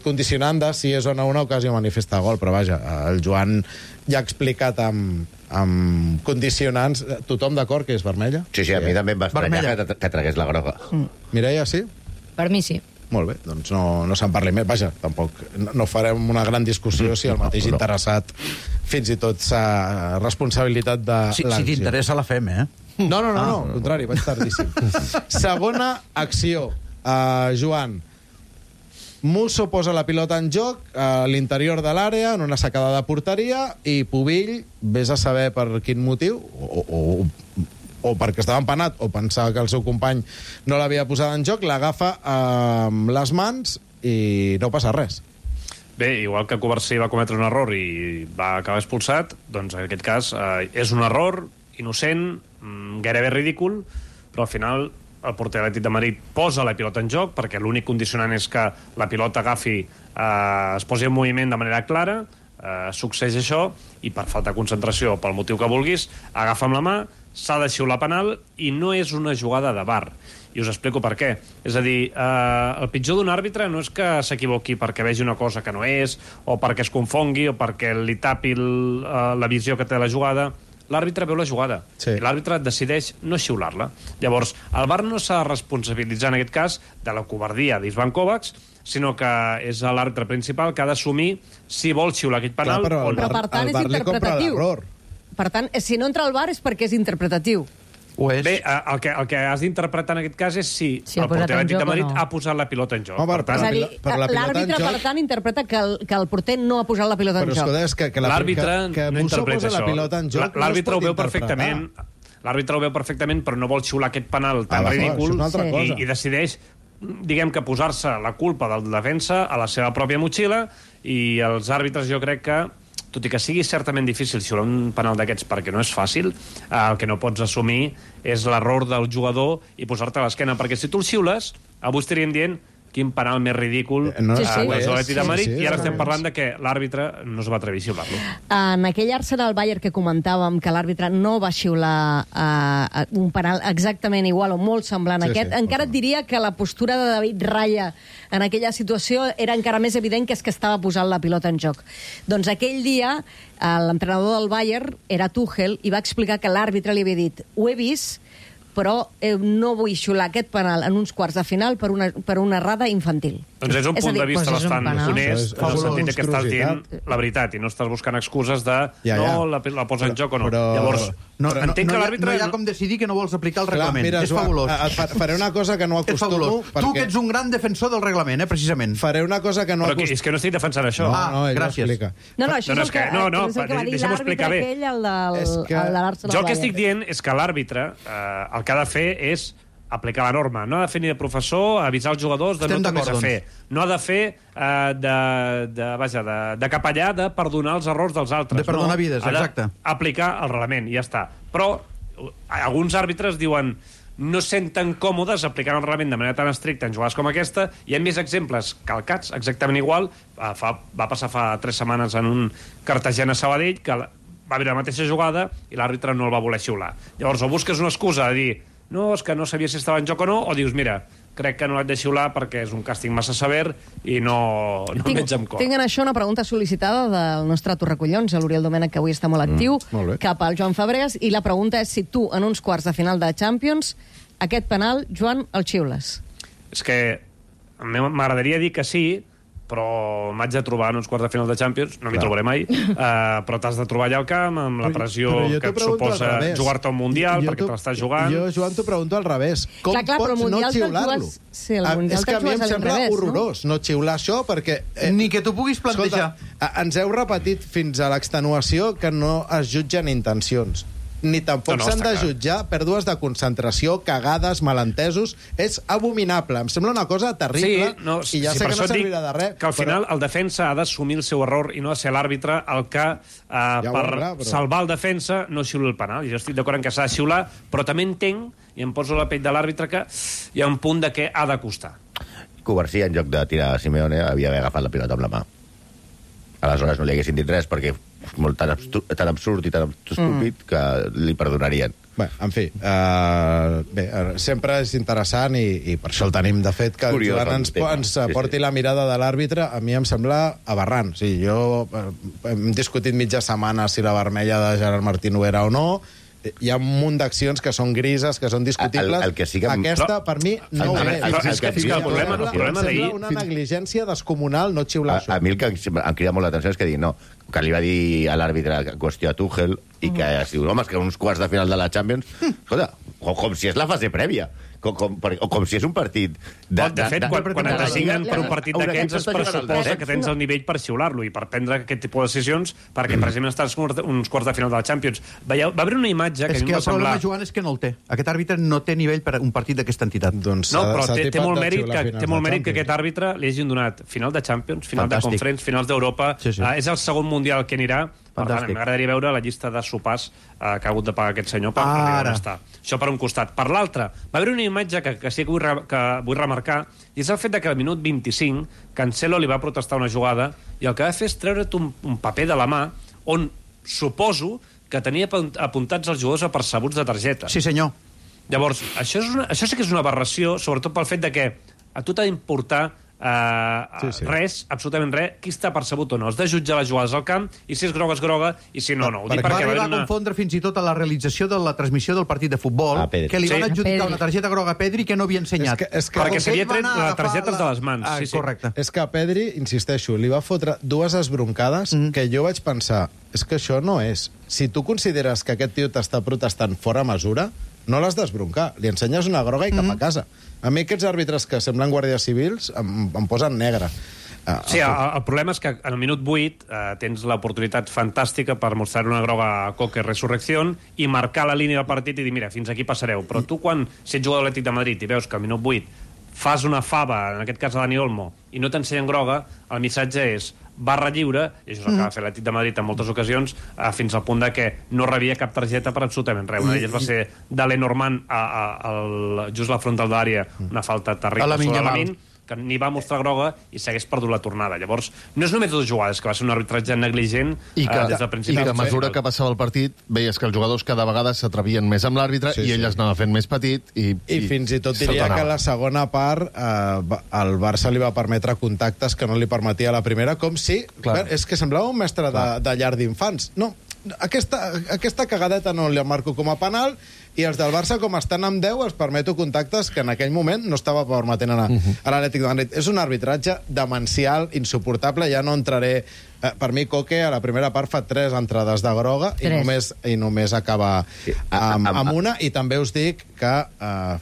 condicionant de si és o no una ocasió manifesta de gol. Però vaja, el Joan ja ha explicat amb condicionants. Tothom d'acord que és vermella? Sí, a mi també em va estranyar que tragués la groga. Mireia, sí? Per mi sí. Molt bé, doncs no se'n parli més. Vaja, tampoc no farem una gran discussió si el mateix interessat fins i tot s'ha responsabilitat de l'acció. Si t'interessa la fem, eh? No, al contrari, vaig tardíssim. Segona acció. Joan, Musso posa la pilota en joc a l'interior de l'àrea, en una sacada de porteria, i Pubill, vés a saber per quin motiu, o perquè estava empanat o pensava que el seu company no l'havia posat en joc, l'agafa amb les mans i no passa res. Bé, igual que Covarsí va cometre un error i va acabar expulsat, doncs en aquest cas és un error innocent, gairebé ridícul, però al final el porter Atlètic de Madrid posa la pilota en joc, perquè l'únic condicionant és que la pilota es posi en moviment de manera clara, succeeix això, i per falta de concentració, pel motiu que vulguis, agafa amb la mà, s'ha de xiular penal, i no és una jugada de VAR. I us explico per què. És a dir, el pitjor d'un àrbitre no és que s'equivoqui perquè vegi una cosa que no és, o perquè es confongui, o perquè li tapi la visió que té la jugada. L'àrbitre veu la jugada, i l'àrbitre decideix no xiular-la. Llavors, el VAR no s'ha de responsabilitzar en aquest cas de la covardia d'Ivan Kovacs, sinó que és l'àrbitre principal que ha d'assumir si vol xiular aquest penal o no. Però per tant és interpretatiu. Per tant, si no entra al VAR és perquè és interpretatiu. Bé, el que has d'interpretar en aquest cas és si el porter Atlètic de Madrid ha posat la pilota en joc. L'àrbitre, per tant, interpreta que el porter no ha posat la pilota en joc. Però és que l'àrbitre no interpreta això. L'àrbitre ho veu perfectament. L'àrbitre ho veu perfectament, però no vol xiular aquest penal tan ridícul i decideix, diguem que, posar-se la culpa del defensa a la seva pròpia motxilla, i els àrbitres, jo crec que, tot i que sigui certament difícil xiular un penal d'aquests perquè no és fàcil, el que no pots assumir és l'error del jugador i posar-te a l'esquena, perquè si tu el xiules, avui estaríem dient quin penal més ridícul l'Atlètic de Madrid, i ara estem parlant de que l'àrbitre no es va atrevir a xiular-lo. En aquell Arsenal-Bayern que comentàvem, que l'àrbitre no va xiular un penal exactament igual o molt semblant a aquest, encara et diria que la postura de David Raya en aquella situació era encara més evident que és que estava posant la pilota en joc. Doncs aquell dia l'entrenador del Bayern era Tuchel i va explicar que l'àrbitre li havia dit: ho he vist, però no vull xiular aquest penal en uns quarts de final per una errada infantil. Doncs és un punt de vista bastant honest, en el sentit que estàs dient la veritat i no estàs buscant excuses de la posa en joc o no. Llavors, entenc que l'àrbitre... No hi ha com decidir que no vols aplicar el reglament. És fabulós. Faré una cosa que no acostumo... Tu que ets un gran defensor del reglament, precisament. Faré una cosa que no acostumo... Però és que no estic defensant això. Gràcies. No, això és el que va dir l'àrbitre aquell, el de l'Arsenal. Jo el que estic dient és que l'àrbitre el que ha de fer és aplicar la norma. No ha de fer ni de professor, avisar els jugadors de no té més a fer. No ha de fer de capellà de perdonar els errors dels altres. De perdonar vides, exacte. Ha d'aplicar el reglament, i ja està. Però alguns àrbitres diuen no senten còmodes aplicant el reglament de manera tan estricta en jugades com aquesta. Hi ha més exemples calcats, exactament igual. Va passar fa 3 setmanes en un Cartagena-Sabadell, que va haver la mateixa jugada i l'àrbitre no el va voler xiular. Llavors, o busques una excusa de dir no, és que no sabia si estava en joc o no, o dius, mira, crec que no l'haig de xiular perquè és un càstig massa sever i no veig amb cor. Tinc en això una pregunta sol·licitada del nostre Torracollons, l'Oriol Domènech, que avui està molt actiu, cap al Joan Fabregas, i la pregunta és si tu, en uns quarts de final de Champions, aquest penal, Joan, el xiules. És que m'agradaria dir que sí, però m'haig de trobar en uns quarts de final de Champions, no m'hi trobaré mai, però t'has de trobar allà al camp, amb la pressió que et suposa jugar-te un Mundial, perquè te l'estàs jugant. Jo, Joan, t'ho pregunto al revés. Com pots no xiular-lo? És que a mi em sembla horrorós no xiular això, perquè... Ni que t'ho puguis plantejar. Ens heu repetit fins a l'extenuació que no es jutgen intencions. Ni tampoc s'han de jutjar pèrdues de concentració, cagades, malentesos. És abominable. Em sembla una cosa terrible i ja sé que no servirà de res. Que al final el defensa ha d'assumir el seu error i no ha de ser l'àrbitre el que, per salvar el defensa, no xiula el penal. Jo estic d'acord en que s'ha de xiular, però també entenc, i em poso la pell de l'àrbitre, que hi ha un punt de què ha de costar. Covarsí, en lloc de tirar a Simeone, havia d'haver agafat la pilota amb la mà. Aleshores no li haguessin dit res, perquè és tan absurd i tan estúpid que li perdonarien. Bé, en fi, sempre és interessant i per això el tenim, de fet, que el Joan ens porti la mirada de l'àrbitre. A mi em sembla aberrant. Jo hem discutit mitja setmana si la vermella de Gerard Martín ho era o no. Hi ha un munt d'accions que són grises, que són discutibles. Aquesta, per mi, no ho és. El problema d'ahir... Una negligència descomunal no xiular això. A mi el que em crida molt l'atenció és que que li va dir a l'àrbitre qüestió a Tuchel i que es diu, home, és que uns quarts de final de la Champions... Escolta, com si és la fase prèvia. O com si és un partit... De fet, quan et designen per un partit d'aquests es pressuposa que tens el nivell per xiular-lo i per prendre aquest tipus de decisions perquè precisament estàs uns quarts de final de la Champions. Va haver una imatge que a mi em va semblar... És que el problema, Joan, és que no el té. Aquest àrbitre no té nivell per un partit d'aquesta entitat. No, però té molt mèrit que aquest àrbitre li hagin donat final de Champions, final de Conference, finals d'Europa. És el segon Mundial que anirà. Per tant, m'agradaria veure la llista de sopars que ha hagut de pagar aquest senyor per arribar on està. Això per un costat. Per l'altre, va haver una imatge que sí que vull remarcar, i és el fet que al minut 25 Cancelo li va protestar una jugada i el que va fer és treure't un paper de la mà on suposo que tenia apuntats els jugadors apercebuts de targeta. Sí, senyor. Llavors, això sí que és una aberració, sobretot pel fet que a tu t'ha d'importar res, absolutament res, qui està percebut o no. Has de jutjar les jugades al camp i si és groga, és groga, i si no, no. Va arribar a confondre fins i tot a la realització de la transmissió del partit de futbol que li van adjudicar una targeta groga a Pedri que no havia ensenyat. Perquè s'havia tret la targeta de les mans. Correcte. És que a Pedri, insisteixo, li va fotre dues esbroncades que jo vaig pensar, és que això no és. Si tu consideres que aquest tio t'està protestant fora mesura, no l'has d'esbroncar. Li ensenyes una groga i cap a casa. A mi aquests àrbitres que semblen guàrdies civils em posen negre. Sí, el problema és que en el minut 8 tens l'oportunitat fantàstica per mostrar una groga a Coque Resurrección i marcar la línia del partit i dir, mira, fins aquí passareu. Però tu, quan ets jugador de l'Atlètic de Madrid i veus que al minut 8 fas una fava, en aquest cas a Dani Olmo, i no t'ensenyen groga, el missatge és barra lliure, i això és el que va fer l'Atlètic de Madrid en moltes ocasions, fins al punt que no rebia cap targeta per absolutament res. Una d'elles va ser de Lenormand just a la frontal d'àrea, una falta terrible sobre Lamine, que ni va mostrar groga i s'hagués perdut la tornada. Llavors, no és només dues jugades, que va ser un arbitratge negligent des del principi. I que a mesura que passava el partit, veies que els jugadors cada vegada s'atrevien més amb l'àrbitre i ell es anava fent més petit i fins i tot diria que la segona part el Barça li va permetre contactes que no li permetia la primera, com si... És que semblava un mestre de llar d'infants. No, aquesta cagadeta no li marco com a penal i els del Barça, com estan amb 10, els permeto contactes que en aquell moment no estava permetent a l'Atlètic de Madrid. És un arbitratge demencial, insuportable. Ja no entraré... Per mi, Coque, a la primera part fa 3 entrades de groga i només acaba amb una. I també us dic que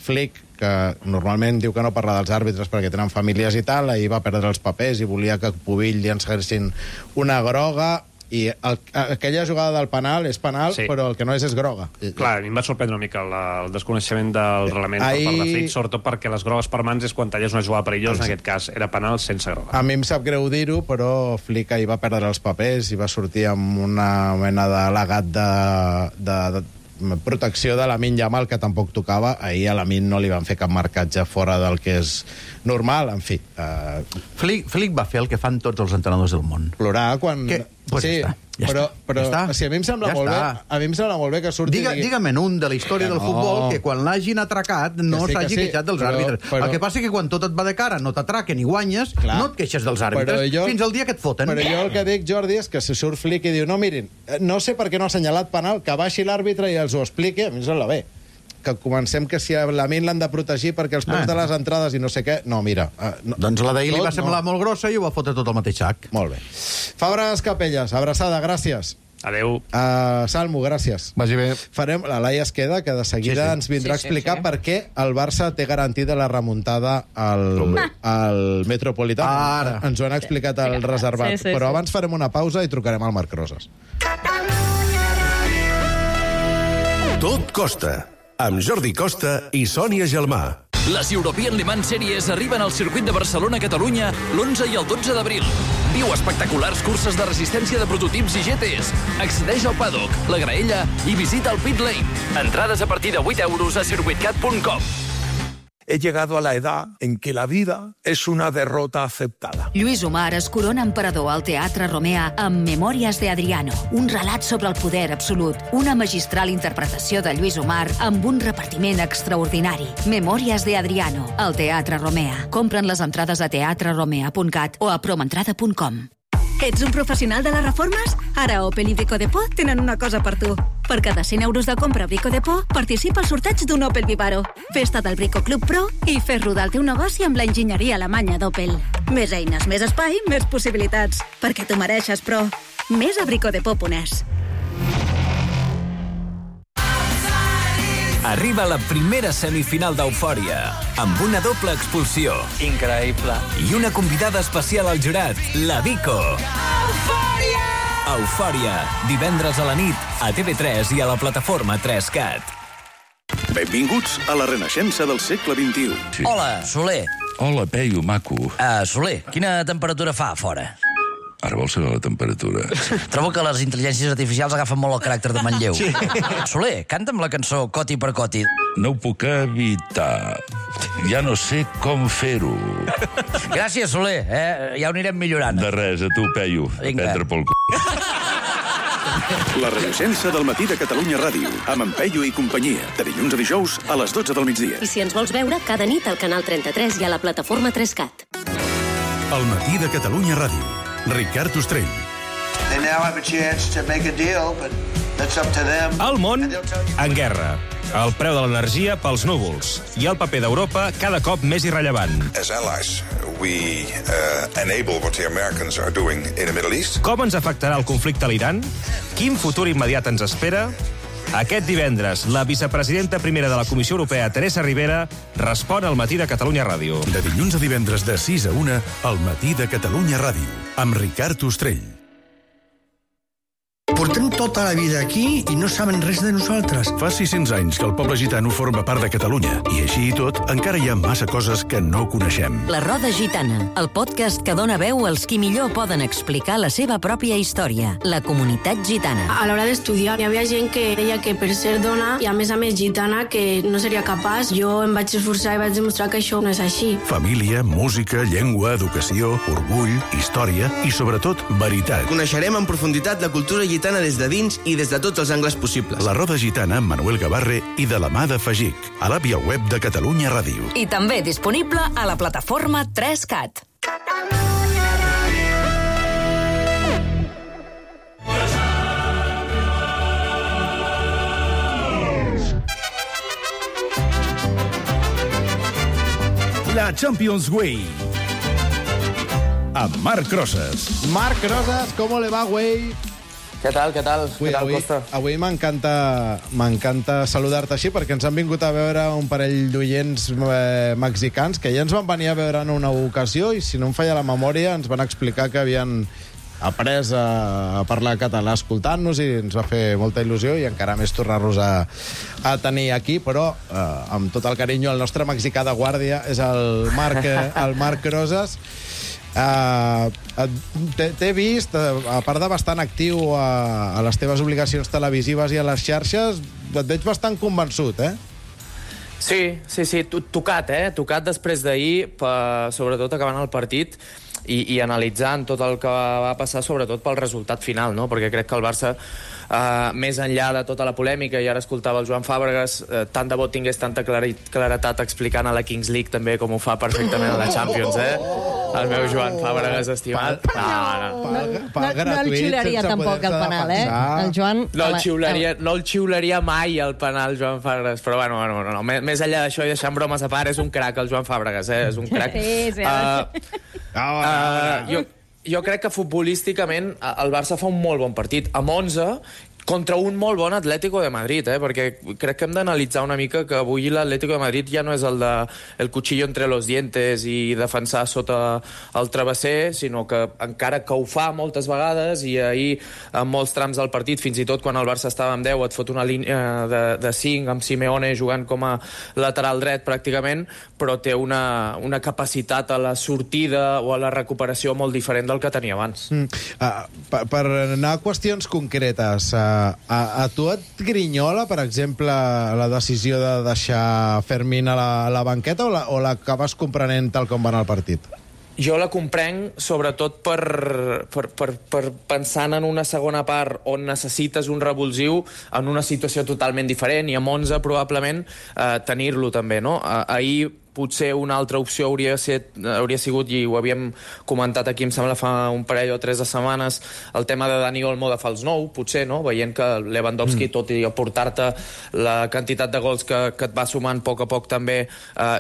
Flick, que normalment diu que no parla dels àrbitres perquè tenen famílies i tal, ahir va perdre els papers i volia que Pubill li enseguessin una groga. I aquella jugada del penal és penal, però el que no és groga. Clar, a mi em va sorprendre una mica el desconeixement del reglament per part de Flick, sobretot perquè les grogues per mans és quan talles una jugada perillosa, en aquest cas era penal sense groga. A mi em sap greu dir-ho, però Flick ahir va perdre els papers i va sortir amb una mena d'al·legat de protecció de Lamine Yamal, que tampoc tocava. Ahir a Lamine no li van fer cap marcatge fora del que és normal, en fi. Flick va fer el que fan tots els entrenadors del món. Plorar quan... Pues sí, però si a mi em sembla molt bé que surti... Digue'm un de la història del futbol que quan l'hagin atracat no s'hagi queixat dels àrbitres. El que passa és que quan tot et va de cara, no t'atraquen i guanyes, no et queixes dels àrbitres fins al dia que et foten. Però jo el que dic, Jordi, és que si surt Flick i diu, no, mirin, no sé per què no ha assenyalat penal, que baixi l'àrbitre i els ho expliqui, a mi em sembla bé. que comencem que si a Lamine l'han de protegir perquè els preus de les entrades i no sé què... No, mira... Doncs la d'ahir li va semblar molt grossa i ho va fotre tot al mateix sac. Molt bé. Fabres Capelles, abraçada, gràcies. Adéu. Salmo, gràcies. Vagi bé. Farem, la Laia es queda, que de seguida ens vindrà a explicar per què el Barça té garantida la remuntada al Metropolità. Ara. Ens ho han explicat al reservat. Però abans farem una pausa i trucarem al Marc Rosas. Tot costa, amb Jordi Costa i Sònia Gelmà. Les European Le Mans Series arriben al circuit de Barcelona-Catalunya l'11 i el 12 d'abril. Viu espectaculars curses de resistència de prototips i GTs. Accedeix al paddock, la graella i visita el pit lane. Entrades a partir de 8 euros a circuitcat.com. He llegado a la edad en que la vida es una derrota aceptada. Lluís Omar es corona emperador al Teatre Romea amb Memòries de Adriano, un relat sobre el poder absolut, una magistral interpretació de Lluís Omar amb un repartiment extraordinari. Memòries de Adriano, al Teatre Romea. Compren les entrades a teatreromea.cat o a promentrada.com. Ets un professional de les reformes? Ara Opel i Brico Depot tenen una cosa per tu. Per cada 100 euros de compra a Brico Depot, participa al sorteig d'un Opel Vivaro. Festa del Brico Club Pro i fes rodar el teu negoci amb la enginyeria alemanya d'Opel. Més eines, més espai, més possibilitats. Perquè t'ho mereixes, però... Més a bricodepot.es. Arriba la primera semifinal d'Eufòria, amb una doble expulsió. Increïble. I una convidada especial al jurat, la Vico. Eufòria! Eufòria, divendres a la nit, a TV3 i a la plataforma 3Cat. Benvinguts a la renaixença del segle XXI. Sí. Hola, Soler. Hola, Peyu, maco. Soler, quina temperatura fa a fora? Ara vols saber la temperatura? Trobo que les intel·ligències artificials agafen molt el caràcter de Manlleu. Sí. Soler, canta'm la cançó Coti per Coti. No ho puc evitar. Ja no sé com fer-ho. Gràcies, Soler. Ja ho anirem millorant. De res, a tu, Peyu. Prendre pel c***. La renaixença del matí de Catalunya Ràdio, amb en Peyu i companyia, de dilluns a dijous a les 12 del migdia. I si ens vols veure, cada nit al canal 33 i a la plataforma 3Cat. El matí de Catalunya Ràdio. Ricard Ostrell. They now have a chance to make a deal, but that's up to them. El món en guerra. El preu de l'energia pels núvols. I el paper d'Europa cada cop més irrellevant. As allies, we enable what the Americans are doing in the Middle East. Com ens afectarà el conflicte a l'Iran? Quin futur immediat ens espera? Aquest divendres, la vicepresidenta primera de la Comissió Europea, Teresa Ribera, respon al matí de Catalunya Ràdio. De dilluns a divendres de 6 a 1, al matí de Catalunya Ràdio, amb Ricard Ostrell. Portem tota la vida aquí i no saben res de nosaltres. Fa 600 anys que el poble gitano forma part de Catalunya i així i tot encara hi ha massa coses que no coneixem. La Roda Gitana, el podcast que dona veu als qui millor poden explicar la seva pròpia història, la comunitat gitana. A l'hora d'estudiar hi havia gent que deia que per ser dona i a més gitana que no seria capaç. Jo em vaig esforçar i vaig demostrar que això no és així. Família, música, llengua, educació, orgull, història i sobretot veritat. Coneixerem en profunditat la cultura gitana des de dins i des de tots els angles possibles. La Roda Gitana amb Manuel Gavarre i de la mà de Fagic, a l'app i al web de Catalunya Ràdio. I també disponible a la plataforma 3Cat. La Champions Way. Amb Marc Rosas. Marc Rosas, ¿cómo le va, güey? Què tal, Costa? Avui m'encanta saludar-te així perquè ens han vingut a veure un parell d'oients mexicans que ja ens van venir a veure en una ocasió i si no em falla la memòria ens van explicar que havien après a parlar català escoltant-nos i ens va fer molta il·lusió i encara més tornar-los a tenir aquí, però amb tot el carinyo el nostre mexicà de guàrdia és el Marc Rosas. T'he vist, a part de bastant actiu a les teves obligacions televisives i a les xarxes, et veig bastant convençut, eh? Sí, tocat després d'ahir, sobretot acabant el partit i analitzant tot el que va passar, sobretot pel resultat final, no? Perquè crec que el Barça, més enllà de tota la polèmica, i ara escoltava el Joan Fàbregas, tant de bo tingués tanta claretat explicant a la Kings League també com ho fa perfectament a la Champions, El meu Joan Fàbregas estimat. No el xiularia tampoc el penal, El Joan... No el xiularia mai el penal, Joan Fàbregas. Però bueno, més enllà d'això i deixant bromes a part, és un crac el Joan Fàbregas, és un crac. Jo crec que futbolísticament el Barça fa un molt bon partit. Amb 11, contra un molt bon Atlético de Madrid, perquè crec que hem d'analitzar una mica que avui l'Atlético de Madrid ja no és el cuchillo entre los dientes i defensar sota el travesser, sinó que encara que ho fa moltes vegades, i ahir en molts trams del partit, fins i tot quan el Barça estava amb 10, et fot una línia de 5 amb Simeone jugant com a lateral dret pràcticament, però té una capacitat a la sortida o a la recuperació molt diferent del que tenia abans. Per anar a qüestions concretes, a tu et grinyola, per exemple, la decisió de deixar Fermín a la banqueta o l'acabes comprenent tal com va anar el partit? Jo la comprenc, sobretot per pensant en una segona part on necessites un revulsiu en una situació totalment diferent, i amb 11 probablement tenir-lo també, no? Ahir potser una altra opció hauria sigut, i ho havíem comentat aquí, em sembla, fa un parell o 3 de setmanes, el tema de Dani Olmo de fals 9, potser, no? Veient que Lewandowski, tot i aportar-te la quantitat de gols que et va sumant a poc també,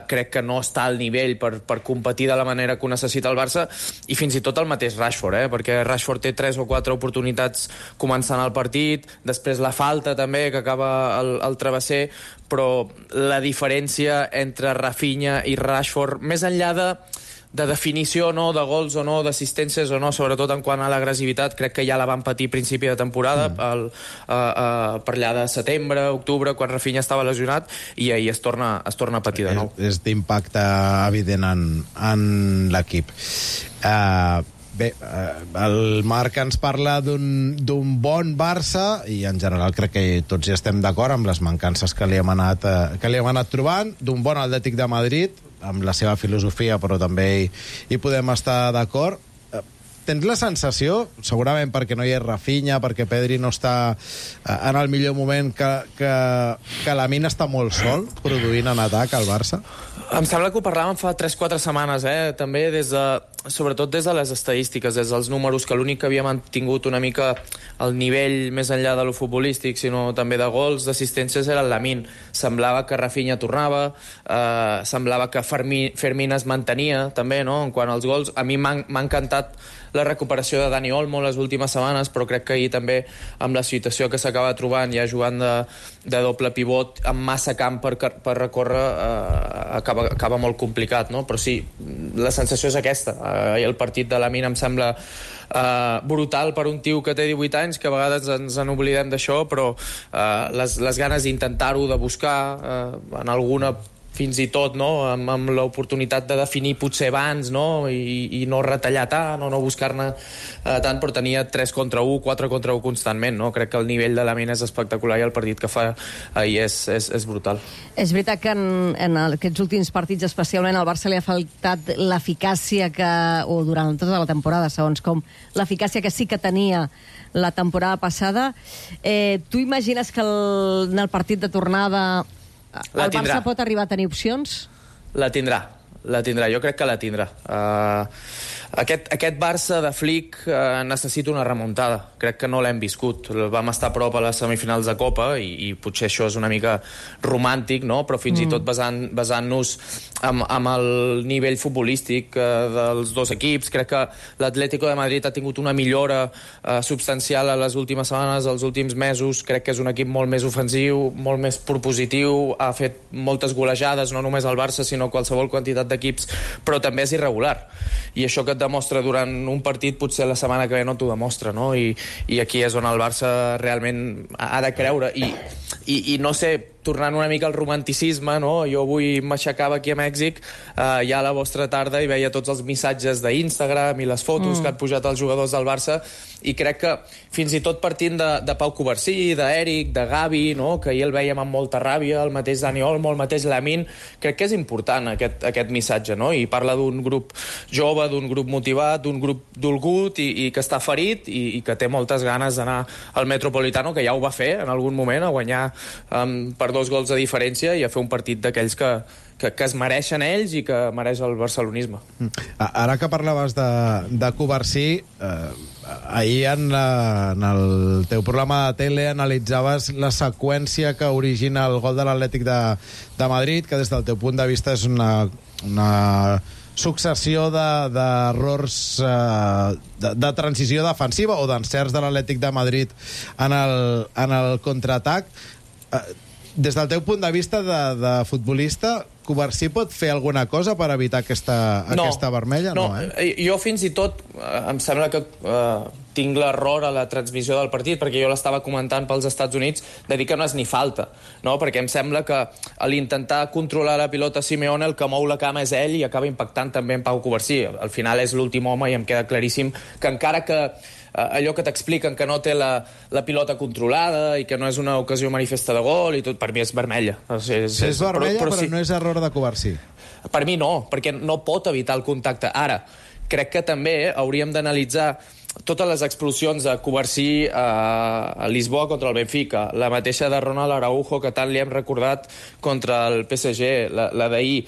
crec que no està al nivell per competir de la manera que ho necessita el Barça, i fins i tot el mateix Rashford, perquè Rashford té 3 o 4 oportunitats començant el partit, després la falta també, que acaba el travesser, però la diferència entre Rafinha i Rashford, més enllà de definició o no, de gols o no, d'assistències o no, sobretot en quant a l'agressivitat, crec que ja la van patir a principi de temporada, per allà de setembre, octubre, quan Rafinha estava lesionat, i ahir es torna a patir de nou. És d'impacte evident en l'equip. Bé, el Marc ens parla d'un bon Barça, i en general crec que tots hi estem d'acord amb les mancances que li hem anat trobant, d'un bon Atlètic de Madrid, amb la seva filosofia, però també hi podem estar d'acord. Tens la sensació, segurament perquè no hi és Rafinha, perquè Pedri no està en el millor moment, que Lamine està molt sol produint en atac al Barça? Em sembla que ho parlàvem fa 3-4 setmanes, també sobretot des de les estadístiques, des dels números, que l'únic que havia mantingut una mica el nivell més enllà de lo futbolístic, sinó també de gols, d'assistències, era el Lamine. Semblava que Rafinha tornava, semblava que Fermín es mantenia també, no?, en quant als gols. A mi m'ha encantat la recuperació de Dani Olmo les últimes setmanes, però crec que ahir també, amb la situació que s'acaba trobant, ja jugant de doble pivot, amb massa camp per recórrer, acaba molt complicat, no? Però sí, la sensació és aquesta. El partit de Lamine em sembla brutal per un tio que té 18 anys, que a vegades ens n'oblidem d'això, però les ganes d'intentar-ho, de buscar en alguna, fins i tot, no?, amb l'oportunitat de definir potser abans, no?, i no retallar tant, o no buscar-ne tant, però tenia 3 contra 1, 4 contra 1 constantment, no? Crec que el nivell de Lamine és espectacular, i el partit que fa ahir és brutal. És veritat que en aquests últims partits, especialment al Barça, li ha faltat l'eficàcia o durant tota la temporada, segons com, l'eficàcia que sí que tenia la temporada passada. Tu imagines que en el partit de tornada el Barça pot arribar a tenir opcions? La tindrà. Jo crec que la tindrà. Aquest Barça de Flick necessita una remuntada. Crec que no l'hem viscut. Vam estar a prop a les semifinals de Copa, i potser això és una mica romàntic, no?, però fins i tot basant-nos amb el nivell futbolístic dels dos equips. Crec que l'Atlético de Madrid ha tingut una millora substancial a les últimes setmanes, als últims mesos. Crec que és un equip molt més ofensiu, molt més propositiu, ha fet moltes golejades, no només el Barça, sinó qualsevol quantitat d'equips, però també és irregular. I això que et demostra durant un partit, potser la setmana que ve no t'ho demostra, no? I aquí és on el Barça realment ha de creure. I no sé, tornant una mica al romanticisme, no? Jo avui m'aixecava aquí a Mèxic, ja a la vostra tarda, i veia tots els missatges d'Instagram i les fotos que han pujat els jugadors del Barça, i crec que fins i tot partint de Pau Covarsí, d'Eric, de Gavi, no?, que ahir el vèiem amb molta ràbia, el mateix Dani Olmo, el mateix Lamine, crec que és important aquest missatge, no? I parla d'un grup jove, d'un grup motivat, d'un grup dolgut i que està ferit i que té moltes ganes d'anar al Metropolitano, que ja ho va fer en algun moment, a guanyar per 2 gols de diferència i a fer un partit d'aquells que es mereixen ells i que mereix el barcelonisme. Ara que parlaves de Covarsí, ahir en el teu programa de tele analitzaves la seqüència que origina el gol de l'Atlètic de Madrid, que des del teu punt de vista és una successió d'errors de transició defensiva o d'encerts de l'Atlètic de Madrid en el contraatac. Des del teu punt de vista de futbolista, Covarsí pot fer alguna cosa per evitar aquesta vermella? No, jo fins i tot em sembla que tinc l'error a la transmissió del partit, perquè jo l'estava comentant pels Estats Units, de dir que no és ni falta, no? Perquè em sembla que a l'intentar controlar la pilota Simeone, el que mou la cama és ell i acaba impactant també en Pau Covarsí. Al final és l'últim home i em queda claríssim que encara que allò que t'expliquen que no té la pilota controlada i que no és una ocasió manifesta de gol i tot, per mi és vermella. És vermella, però no és error de Covarsí. Per mi no, perquè no pot evitar el contacte. Ara, crec que també hauríem d'analitzar totes les explosions de Covarsí a Lisboa contra el Benfica, la mateixa de Ronald Araujo, que tant li hem recordat contra el PSG, la d'ahir.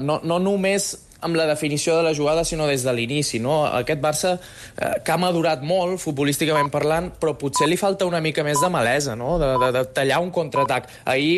No només amb la definició de la jugada, sinó des de l'inici, no? Aquest Barça que ha madurat molt, futbolísticament parlant, però potser li falta una mica més de malesa, no? De tallar un contraatac. Ahir